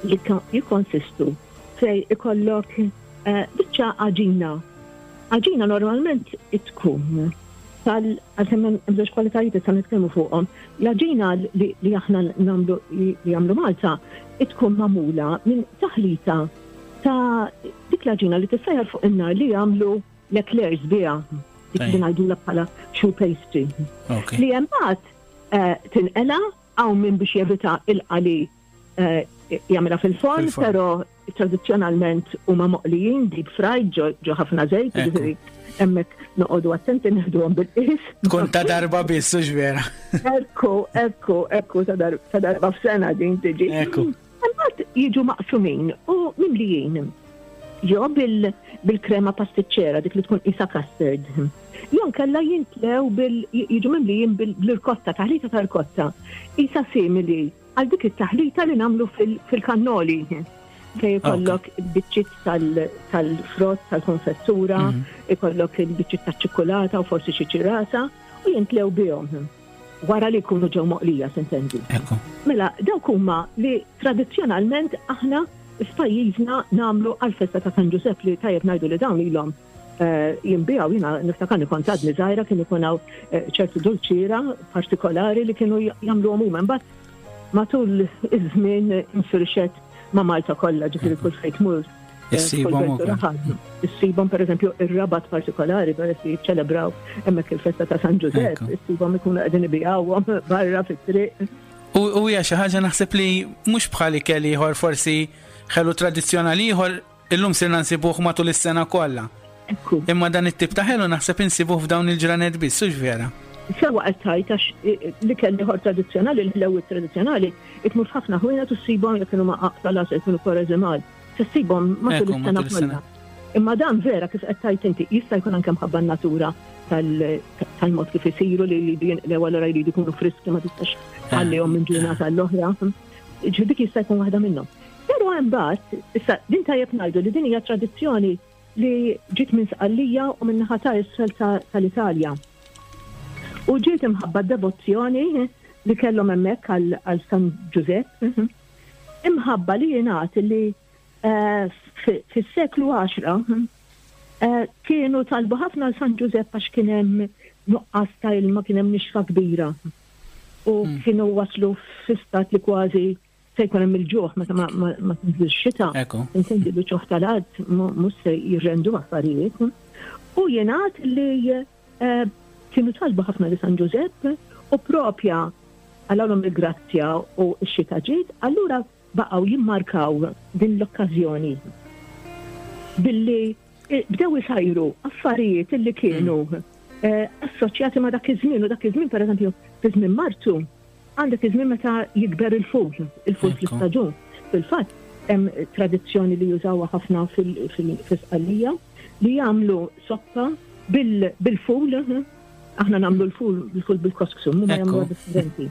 [SPEAKER 10] jikkonsistu fej ikollok eh, biċċa għaġina. Għaġina normalment tkun tal għalkemm hemm żewġ kwalitajiet issa nitkellmu fuqhom. L-għaġina li aħna nagħmlu li jagħmlu Malta tkun magħmula minn taħlita ta' dik l-għaġina li tissajjar fuq in-nar li jagħmlu l-eclairs biha, dik li ngħidulha bħala choux pastry. Li imbagħad eh, tinqela hawn min biex jevita il-qali eh, jagħmilha fil-forn, però tradizzjonalment huma moqlijin deep fried ġo ħafna żejt, jiġifieri hemmhekk noqogħdu attenti neħduhom bil-qis.
[SPEAKER 3] Tkun ta' darba biss, hux vera.
[SPEAKER 10] Ekku, ekku, ekku ta' darba f'sena din tiġi.
[SPEAKER 3] Ekku.
[SPEAKER 10] Imbagħad jiġu maqsumin u mimlijin. Jew bil-krema pastiċċera dik li tkun qisha custard. Jew nkella jintlew bil jiġu mimlijin bil-irkotta, taħlita ta' rkotta. Qisha simili għal dik it-taħlita li nagħmlu fil-kannoli. Fejn ikollok il-biċċiet tal-frott, tal-konfettura, mhm. ikollok il-biċċiet taċ-ċikkulata u forsi xi ċirasa u jintlew bihom. Wara li jkunu ġew moqlija, sintendi. Mela, dawk huma li tradizzjonalment aħna f'pajjiżna nagħmlu għall-festa ta' San Ġużepp li tajjeb ngħidu li dawn ilhom eh, jinbijaw jiena niftakarni kont għadni żgħira kien ikun hawn eh, ċertu dulċiera partikolari li kienu jagħmluhom huma. Imbagħad matul iż-żmien infirxet ma' Malta kollha, ġifieri kull fejn tmur.
[SPEAKER 3] Eh, Issibhom ukoll.
[SPEAKER 10] Issibhom pereżempju ir-Rabat partikolari peress li jiċċelebraw hemmhekk il-festa ta' San Ġużepp, issibhom ikunu qegħdin ibigħuhom barra fit-triq.
[SPEAKER 3] U hija xi ħaġa naħseb li mhux bħal ikel ieħor forsi ħelu tradizzjonali ieħor illum sirna nsibuh matul is-sena kollha. Imma dan it-tip ta' ħelu naħseb insibuh f'dawn il-ġranet biss, hux vera?
[SPEAKER 10] Sewa qed tgħid għax l-ikel ieħor tradizzjonali, l-ħlewwiet tradizzjonali, tmur f'ħafna ħwienet u ssibhom jekk kienu ma' aqta' l-għasel jkunu koreżimal. Se ssibhom matul is-sena kollha. Imma dan vera kif qed tgħid inti, jista' jkun anke mħabba n-natura tal-mod kif isiru li jridu jinqlew allura jridu jkunu friski ma tistax tħallihom minn ġurnata għall-oħra. Ġifieri dik jista' jkun waħda minnhom. Però imbagħad, issa din tajjeb ngħidu li din hija tradizzjoni li ġiet minn Sqallija u minn naħa ta' isfel tal-Italja. U ġiet imħabba d-devozzjoni li kellhom hemmhekk għal San Ġużepp. Imħabba li jingħad li eh, fis-seklu 10 eh, kienu talbu ħafna għal San Ġużepp għax kien hemm nuqqas ta' ilma kien hemm nixfa kbira. U hmm. kienu waslu fi stat li kważi se jkun hemm il-ġuħ meta ma tinżilx xita. Intendi li ġuħ tal-art mhux se jirrendu affarijiet. U jingħad li eh, kienu talbu ħafna li San Ġużepp u propja għalhom il-grazzja u x-xita ġiet, allura baqgħu jimmarkaw din l-okkażjoni billi eh, bdew isajru affarijiet li kienu mm. eh, assoċjati ma' dak iż-żmien u dak iż-żmien pereżempju fi żmien Marzu għandek iż-żmien meta jikber il-ful, il-ful fl-istaġun. Fil-fatt hemm tradizzjoni li jużawha ħafna fil-Sqallija li jagħmlu soppa bil-ful, aħna nagħmlu l-ful bil-ful bil-kosksu, huma jagħmluha differenti.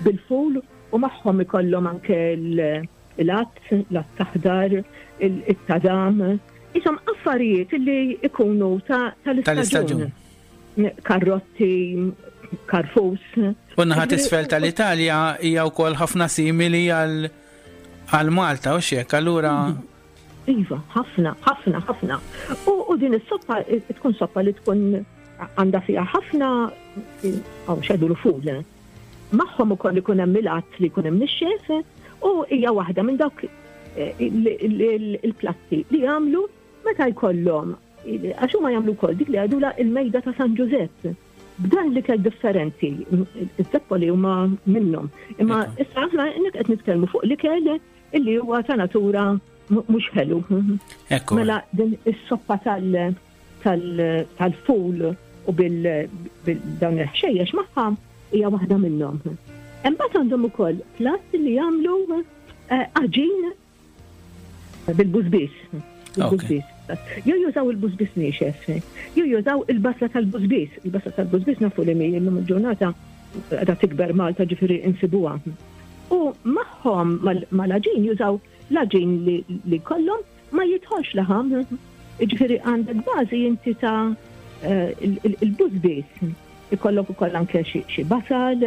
[SPEAKER 10] Bil-ful u magħhom ikollhom anke l-għadd, l-għadd aħdar, it-tadam, isom affarijiet li ikunu tal-istaġun. Karrotti, karfus.
[SPEAKER 3] U naħa t'isfel tal-Italja hija wkoll ħafna simili għal Malta u xek, allura.
[SPEAKER 10] Iva, ħafna, ħafna, ħafna. U din is-soppa tkun soppa li tkun għandha fiha ħafna għaw xedu l-ful. Magħhom ukoll ikun hemm il-għadd li jkun hemm nixxef u hija waħda minn dawk eh, il-platti li jagħmlu meta jkollhom Għax huma jagħmlu wkoll dik li jgħidulha il-mejda ta' San Ġużepp. B'dan l-ikel differenti, iż-zeppoli huma minnhom. Imma issa aħna nek qed nitkellmu fuq l-ikel illi huwa ta' natura mhux ħelu. Mela din is-soppa tal-ful u bil-dawn il-ħxejjex magħha hija waħda minnhom. Imbagħad għandhom ukoll platt li jagħmlu eh, għaġin Bil-bużbież. Bil-bużbież. Jew jużaw il-bużbież niexef, jew jużaw il-basla tal-bużbież. Il-basla tal-bużbież nafu li mi illum il-ġurnata qiegħda tikber Malta ġifieri insibuha. U magħhom mal-għaġin jużaw l-għaġin li jkollhom ma jidħolx laħam. Ġifieri għandek bażi inti ta' eh, il-bużbież. Ikollok ukoll anke xi basal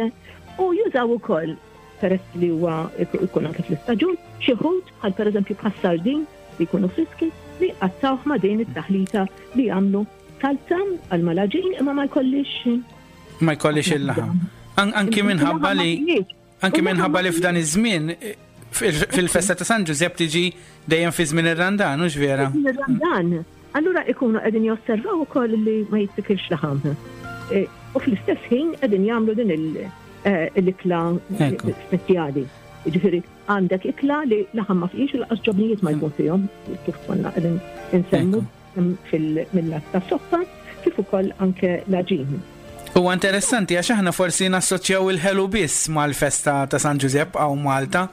[SPEAKER 10] u jużaw ukoll. peress li huwa jkun anke fl-istaġun, xi ħut bħal pereżempju bħas-sardin li jkunu friski li jqattgħuh ma' din it-taħlita li jagħmlu salza għal mal-għaġin imma ma jkollix
[SPEAKER 3] Ma jkollix il-laħam. Anki minħabba li anki minħabba li f'dan iż-żmien fil-festa ta' San Ġużepp tiġi dejjem fi żmien ir-Randan, hux vera?
[SPEAKER 10] Ir-Randan. Allura ikunu qegħdin josservaw ukoll li ma jittikilx laħam. E, u fl-istess ħin qegħdin jagħmlu din e, l-ikla speċjali. Ġifieri għandek ikla li laħam ma fihx u laqas ġobnijiet ma jkun fihom, kif konna qegħdin insemmu mill-lat ta' soppa, kif ukoll anke l-għaġin.
[SPEAKER 3] Huwa interessanti għax aħna forsi nassoċjaw il-ħelu biss mal-festa ta' San Ġużepp hawn Malta.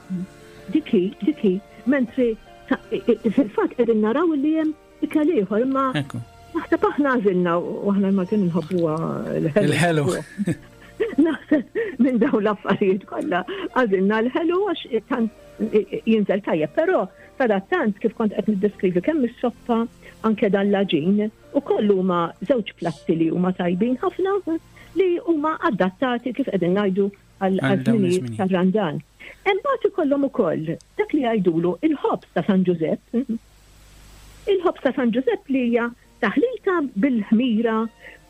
[SPEAKER 10] Dik hi, dik hi, mentri fil-fatt qegħdin naraw li hemm ikel ieħor imma naħseb aħna għażilna u aħna l-Maltin nħobbuha
[SPEAKER 3] l-ħelu. Il-ħelu.
[SPEAKER 10] Naħseb minn dawn l-affarijiet kollha għażilna l-ħelu għax tant jinżel tajjeb, però sadattant kif kont qed niddeskrivi kemm is-soppa anke dan l-għaġin ukoll huma żewġ platti li huma tajbin ħafna li huma adattati kif qegħdin ngħidu għal żminijiet tar-Randan. Imbagħad ikollhom ukoll dak li jgħidulu il-ħobż ta' San Ġużepp. Il-ħobż ta' San Ġużepp li hija taħlita bil-ħmira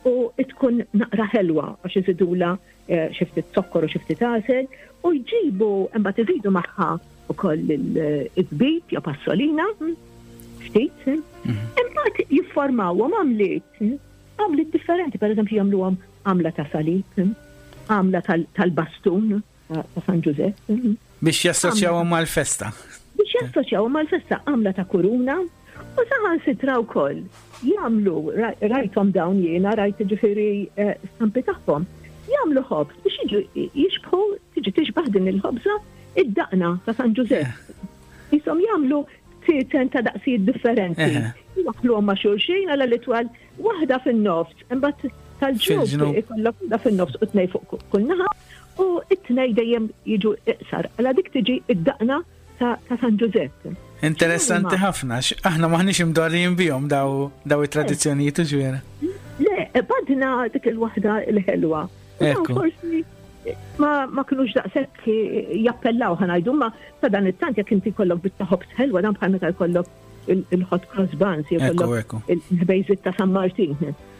[SPEAKER 10] u tkun naqra ħelwa għax iżidulha xi ftit zokkor u xi ftit għasel u jġibu imbagħad iżidu magħha ukoll iż-żbib jew passolina ftit. Mhm. Imbagħad jifformawhom għamliet għamliet differenti, pereżempju jagħmluhom għamla ta' salib, għamla tal-bastun ta' San Ġużepp.
[SPEAKER 3] Biex jassoċjawhom mal-festa.
[SPEAKER 10] Biex jassoċjawhom mal-festa għamla ta' kuruna u saħansitra wkoll jagħmlu rajthom dawn jiena rajt ġifieri eh, stampi tagħhom. Jagħmlu ħobż biex jiġu jixbħu tiġi tixbaħ din il-ħobża id-daqna ta' San Ġużepp. Jisom jagħmlu btieten ta' daqsijiet differenti. Waħluhom ma' xulxin għal li twal waħda fin-nofs, imbagħad tal-ġnub ikollok waħda fin-nofs u tnej fuq kull naħa u it-tnej dejjem jiġu iqsar. Għala dik tiġi id-daqna ta' San Ġużepp.
[SPEAKER 3] Interessanti ħafna, aħna maħniex imdorrijin bihom daw daw it-tradizzjonijiet u ġiera.
[SPEAKER 10] Le, badna dik il-waħda il-ħelwa. Forsi ma, ma kinux daqshekk jappellaw ħanajdu, ma ta' dan it-tant jekk inti jkollok biċċa ħobż ħelwa dan bħal meta jkollok il-hot cross buns jew jkollok il-ħbejżit ta' San Martin.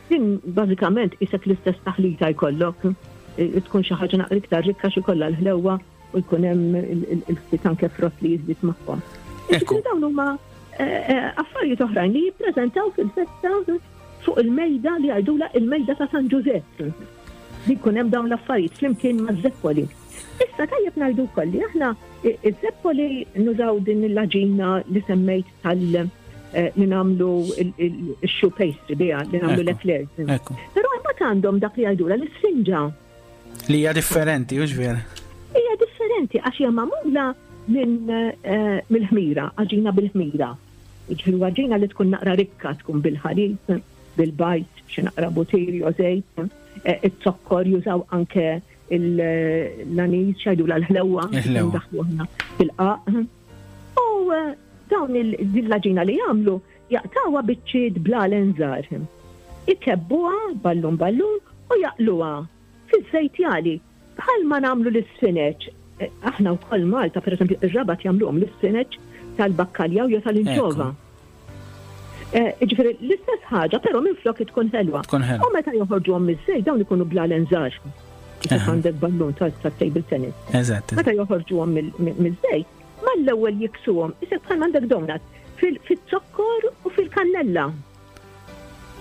[SPEAKER 10] Din bażikament isek l-istess taħlita jkollok tkun xi ħaġa naqra iktar rikka xi kollha l-ħlewwa u jkun hemm il-ftit anke frott li jiżdied magħhom. Ekku. Dawn huma eh, eh, affarijiet oħrajn li jippreżentaw fil-festa fuq il-mejda li jgħidula il-mejda ta' San Ġużepp. Li jkun hemm dawn l-affarijiet flimkien maż-żeppoli. Issa tajjeb ngħidu wkoll li aħna iż-żeppoli nużaw din l-aġina li semmejt tal eh, li nagħmlu il-choux pastry biha li nagħmlu l-eclairs. Però imbagħad għandhom dak li jgħidula l-isfinġa.
[SPEAKER 3] Li hija differenti, hux vera?
[SPEAKER 10] Hija differenti għax hija magħmula minn eh, mill-ħmira, għaġina bil-ħmira. Jiġifieri għaġina li tkun naqra rikka, tkun bil-ħalib, bil-bajd, xi naqra butir jew żejt, eh, iz-zokkor jużaw anke l-anis, xajdula l-ħlewwa, daħlu fil-qaq. U eh, dawn il-ġina li jagħmlu jaqtawha biċċiet blalen żgħar. Ikebbuha ballun ballun u jaqluha fiż-żejt jagħli. Bħalma nagħmlu l-isfineċ, aħna wkoll Malta, pereżempju, ir-Rabat jagħmluhom l-isfineċ tal-bakkaljaw jew tal-inċova. Eh, ġifieri l-istess ħaġa, però minflok tkun ħelwa. U meta joħorġuhom miż-żejt dawn ikunu blalen żgħar. Kif għandek ballun tat-table tennis.
[SPEAKER 3] Eżatt.
[SPEAKER 10] Meta joħorġuhom miż-żejt, mal-ewwel jiksuhom, isek bħal għandek donut, fil-zokkor u fil-kannella.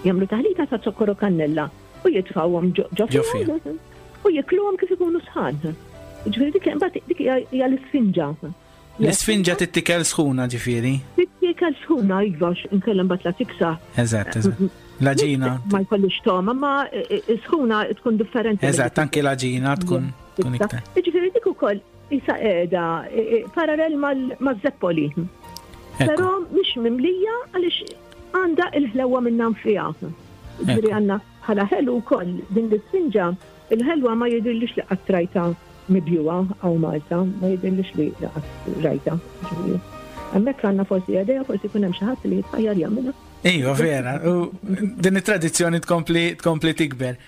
[SPEAKER 10] Jagħmlu taħlita ta' zokkor u kannella u jitfgħuhom ġo fihom u jikluhom kif ikunu sħan. Ġifieri dik imbagħad dik hija l-isfinġa.
[SPEAKER 3] L-isfinġa tittikel sħuna ġifieri?
[SPEAKER 10] Tittikel sħuna iva inkella mbagħad la tiksa.
[SPEAKER 3] Eżatt, eżatt. L-aġina.
[SPEAKER 10] Ma jkollix toma, ma e, e, sħuna tkun differenti.
[SPEAKER 3] Eżatt, anki l-aġina tkun tkun iktar.
[SPEAKER 10] Ġifieri dik ukoll isa qiegħda e, parallel maż-zeppoli. Però mhix mimlija għaliex għandha il-ħlewwa minnha nfiha. Ġifieri għandna bħala ħelu wkoll din l-isfinġa, il-ħelwa ma jidhirlix li qatt rajtha mibjugħa hawn Malta, ma jidhirlix li qatt rajtha. Ġifieri hemmhekk għandna forsi idea, forsi jkun hemm xi ħadd li jitħajjar jagħmilha.
[SPEAKER 3] Iva, vera, u din it-tradizzjoni tkompli tkompli tikber.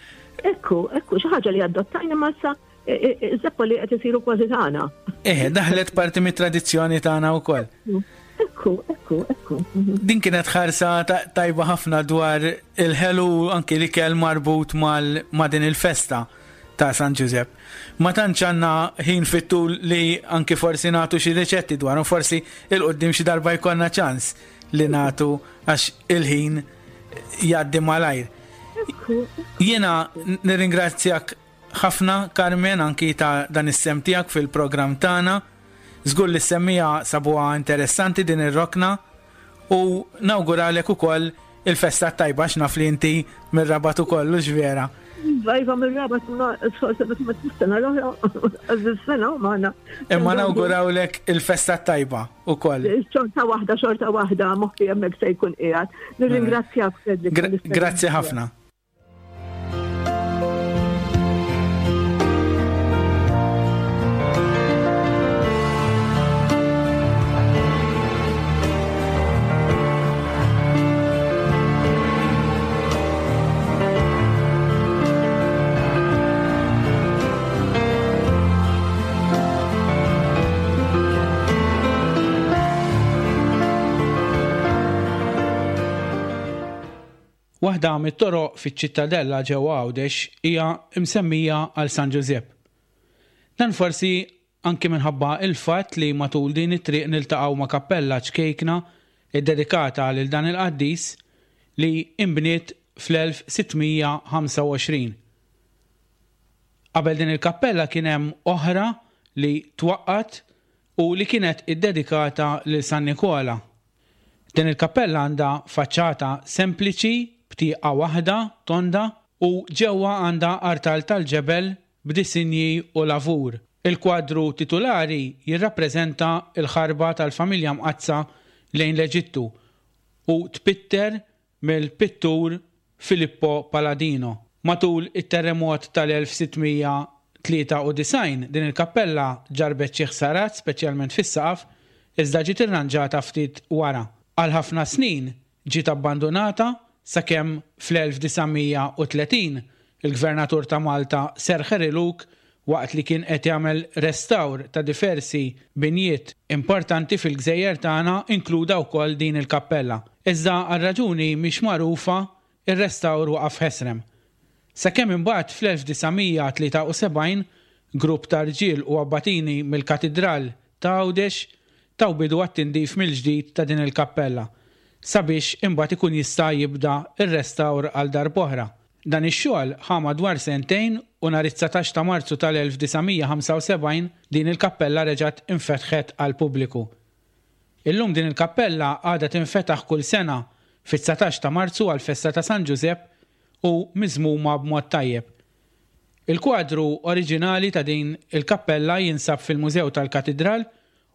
[SPEAKER 10] Ekku, ekku, xi ħaġa li adottajna ma sa. Iż-żeppoli qed isiru kważi tagħna.
[SPEAKER 3] Eh, daħlet parti mit-tradizzjoni tagħna wkoll.
[SPEAKER 10] Ekku, ekku, ekku.
[SPEAKER 3] Din kienet ħarsa tajba ħafna dwar il-ħelu anki l-ikel marbut ma' din il-festa ta' San Ġużepp. Ma tantx għandna ħin fit-tul li anki forsi nagħtu xi riċetti dwarhom, forsi il-qudiem xi darba jkollna ċans li nagħtu għax il-ħin jgħaddi malajr. Jiena nirringrazzjak ħafna Carmen anki ta' dan is-sehem tiegħek fil-programm tagħna. Żgur li s-semmiegħa sabuha interessanti din ir-rokna u nawguralek ukoll il-festa t-tajba għax naf li inti mir-Rabat ukoll, hux vera?
[SPEAKER 10] Iva, iva mir-Rabat imma sfortunatament is-sena l-oħra għaż-sena u magħna.
[SPEAKER 3] Imma nawgurawlek il-festa t-tajba ukoll.
[SPEAKER 10] Xorta waħda, xorta waħda, moħħi hemmhekk se jkun qiegħed. Nirringrazzjak
[SPEAKER 3] Frederick. Grazzi ħafna. Waħda mit-toroq fiċ-Ċittadella ġewwa Għawdex hija msemmija għal San Ġużepp. Dan forsi anki minħabba l-fatt li matul din it-triq niltaqgħu ma' kappella ċkejkna ddedikata lil dan il-qaddis li inbniet fl-1625. Qabel din il-kappella kien hemm oħra li twaqqgħet u li kienet iddedikata lil San Nikola. Din il-kappella għandha faċċata sempliċi b'tieqa waħda tonda u ġewwa għandha artal tal-ġebel b'disinji u lavur. Il-kwadru titulari jirrappreżenta l-ħarba tal-Familja Mqaddsa lejn l-Eġittu u tpitter mill-pittur Filippo Paladino. Matul it-terremot tal-1693 din il-kappella ġarrbet xi ħsarat speċjalment fis-saqaf iżda ġiet irranġata ftit wara. Għal ħafna snin ġiet abbandunata sakemm fl-1930 il-Gvernatur ta' Malta Sir Harry Luke waqt li kien qed jagħmel restawr ta' diversi binjiet importanti fil-gżejjer tagħna inkluda wkoll din il-kappella. Iżda għal raġuni mhix magħrufa ir-restawr waqaf ħesrem. Sakemm imbagħad fl-1973 grupp ta' rġiel u abbatini mill-Katidral ta' Għawdex taw bidu għat-tindif mill-ġdid ta' din il-kappella sabiex imbagħad ikun jista' jibda r-restawr għal darb'oħra. Dan ix-xogħol ħa madwar sentejn u nhar it-dsatax ta' Marzu tal-1975 din il-kappella reġgħet infetħet għall-pubbliku. Illum din il-kappella għadha tinfetaħ kull sena fit-dsatax ta' Marzu għall-festa ta' San Ġużepp u miżmuma b'mod tajjeb. Il-kwadru oriġinali ta' din il-kappella jinsab fil-Mużew tal-Katidral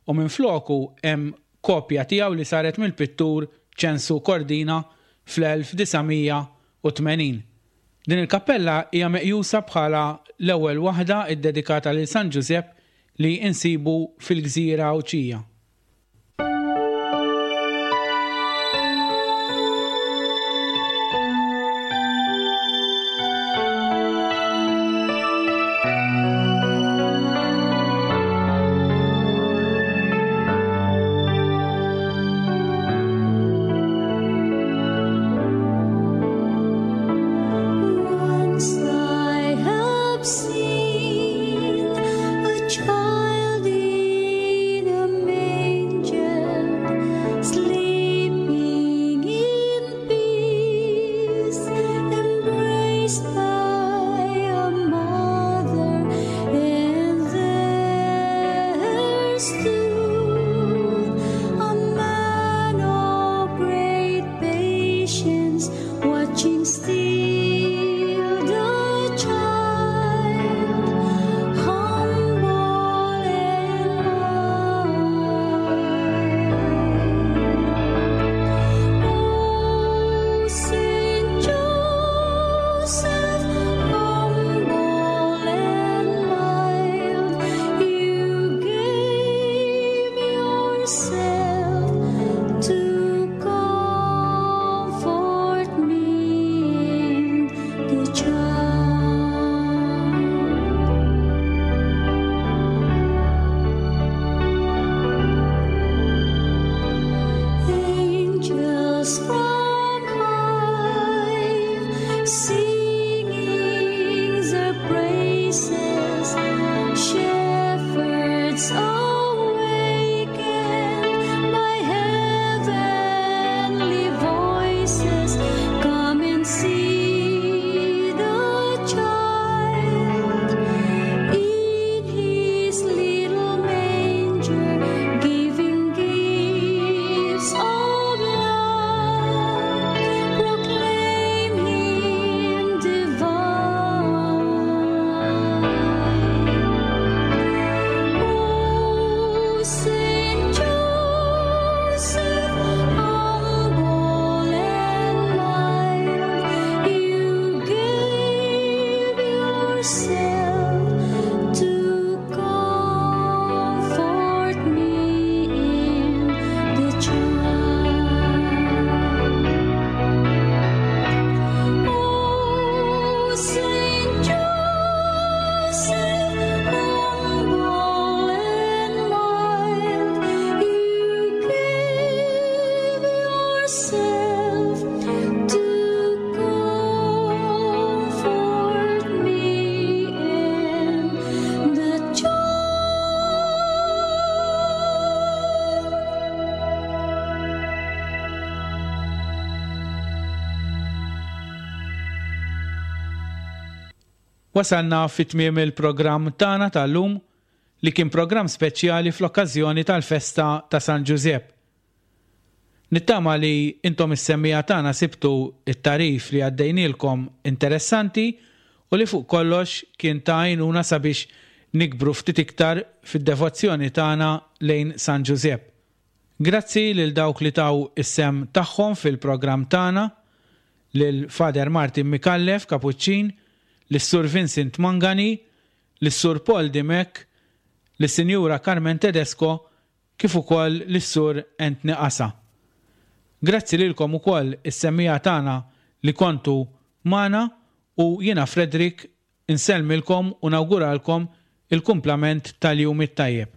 [SPEAKER 3] u minfloku hemm kopja tiegħu li saret mill-pittur Ċensu Cordina fl-1980. Din il-kappella hija meqjusa bħala l-ewwel waħda ddedikata lil San Ġużepp li insibu fil-gżira Għawdxija.
[SPEAKER 8] Yourself humble and mild, you gave yourself to comfort me in the child.
[SPEAKER 3] Wasalna fi tmiem il-programm tagħna tal-lum li kien programm speċjali fl-okkażjoni tal-festa ta' San Ġużepp. Nittama li intom is-semmiegħa tagħna sibtu t-tagħrif li għaddejnielkom interessanti u li fuq kollox kien ta' għajnuna sabiex nikbru ftit iktar fid-devozzjoni tagħna lejn San Ġużepp. Grazzi lil dawk li taw is-sehem tagħhom fil-programm tagħna, lil Father Martin Micallef, Kapuċċin, lis-Sur Vincent Mangani, lis-Sur Paul Dimech, lis-Sinjura Carmen Tedesco kif ukoll lis-Sur Anthony Qasa. Grazzi lilkom ukoll is-semmiegħa tagħna li kontu magħna u jiena Frederick insellmilkom u nawguralkom il-kumplament tal-jum it-tajjeb.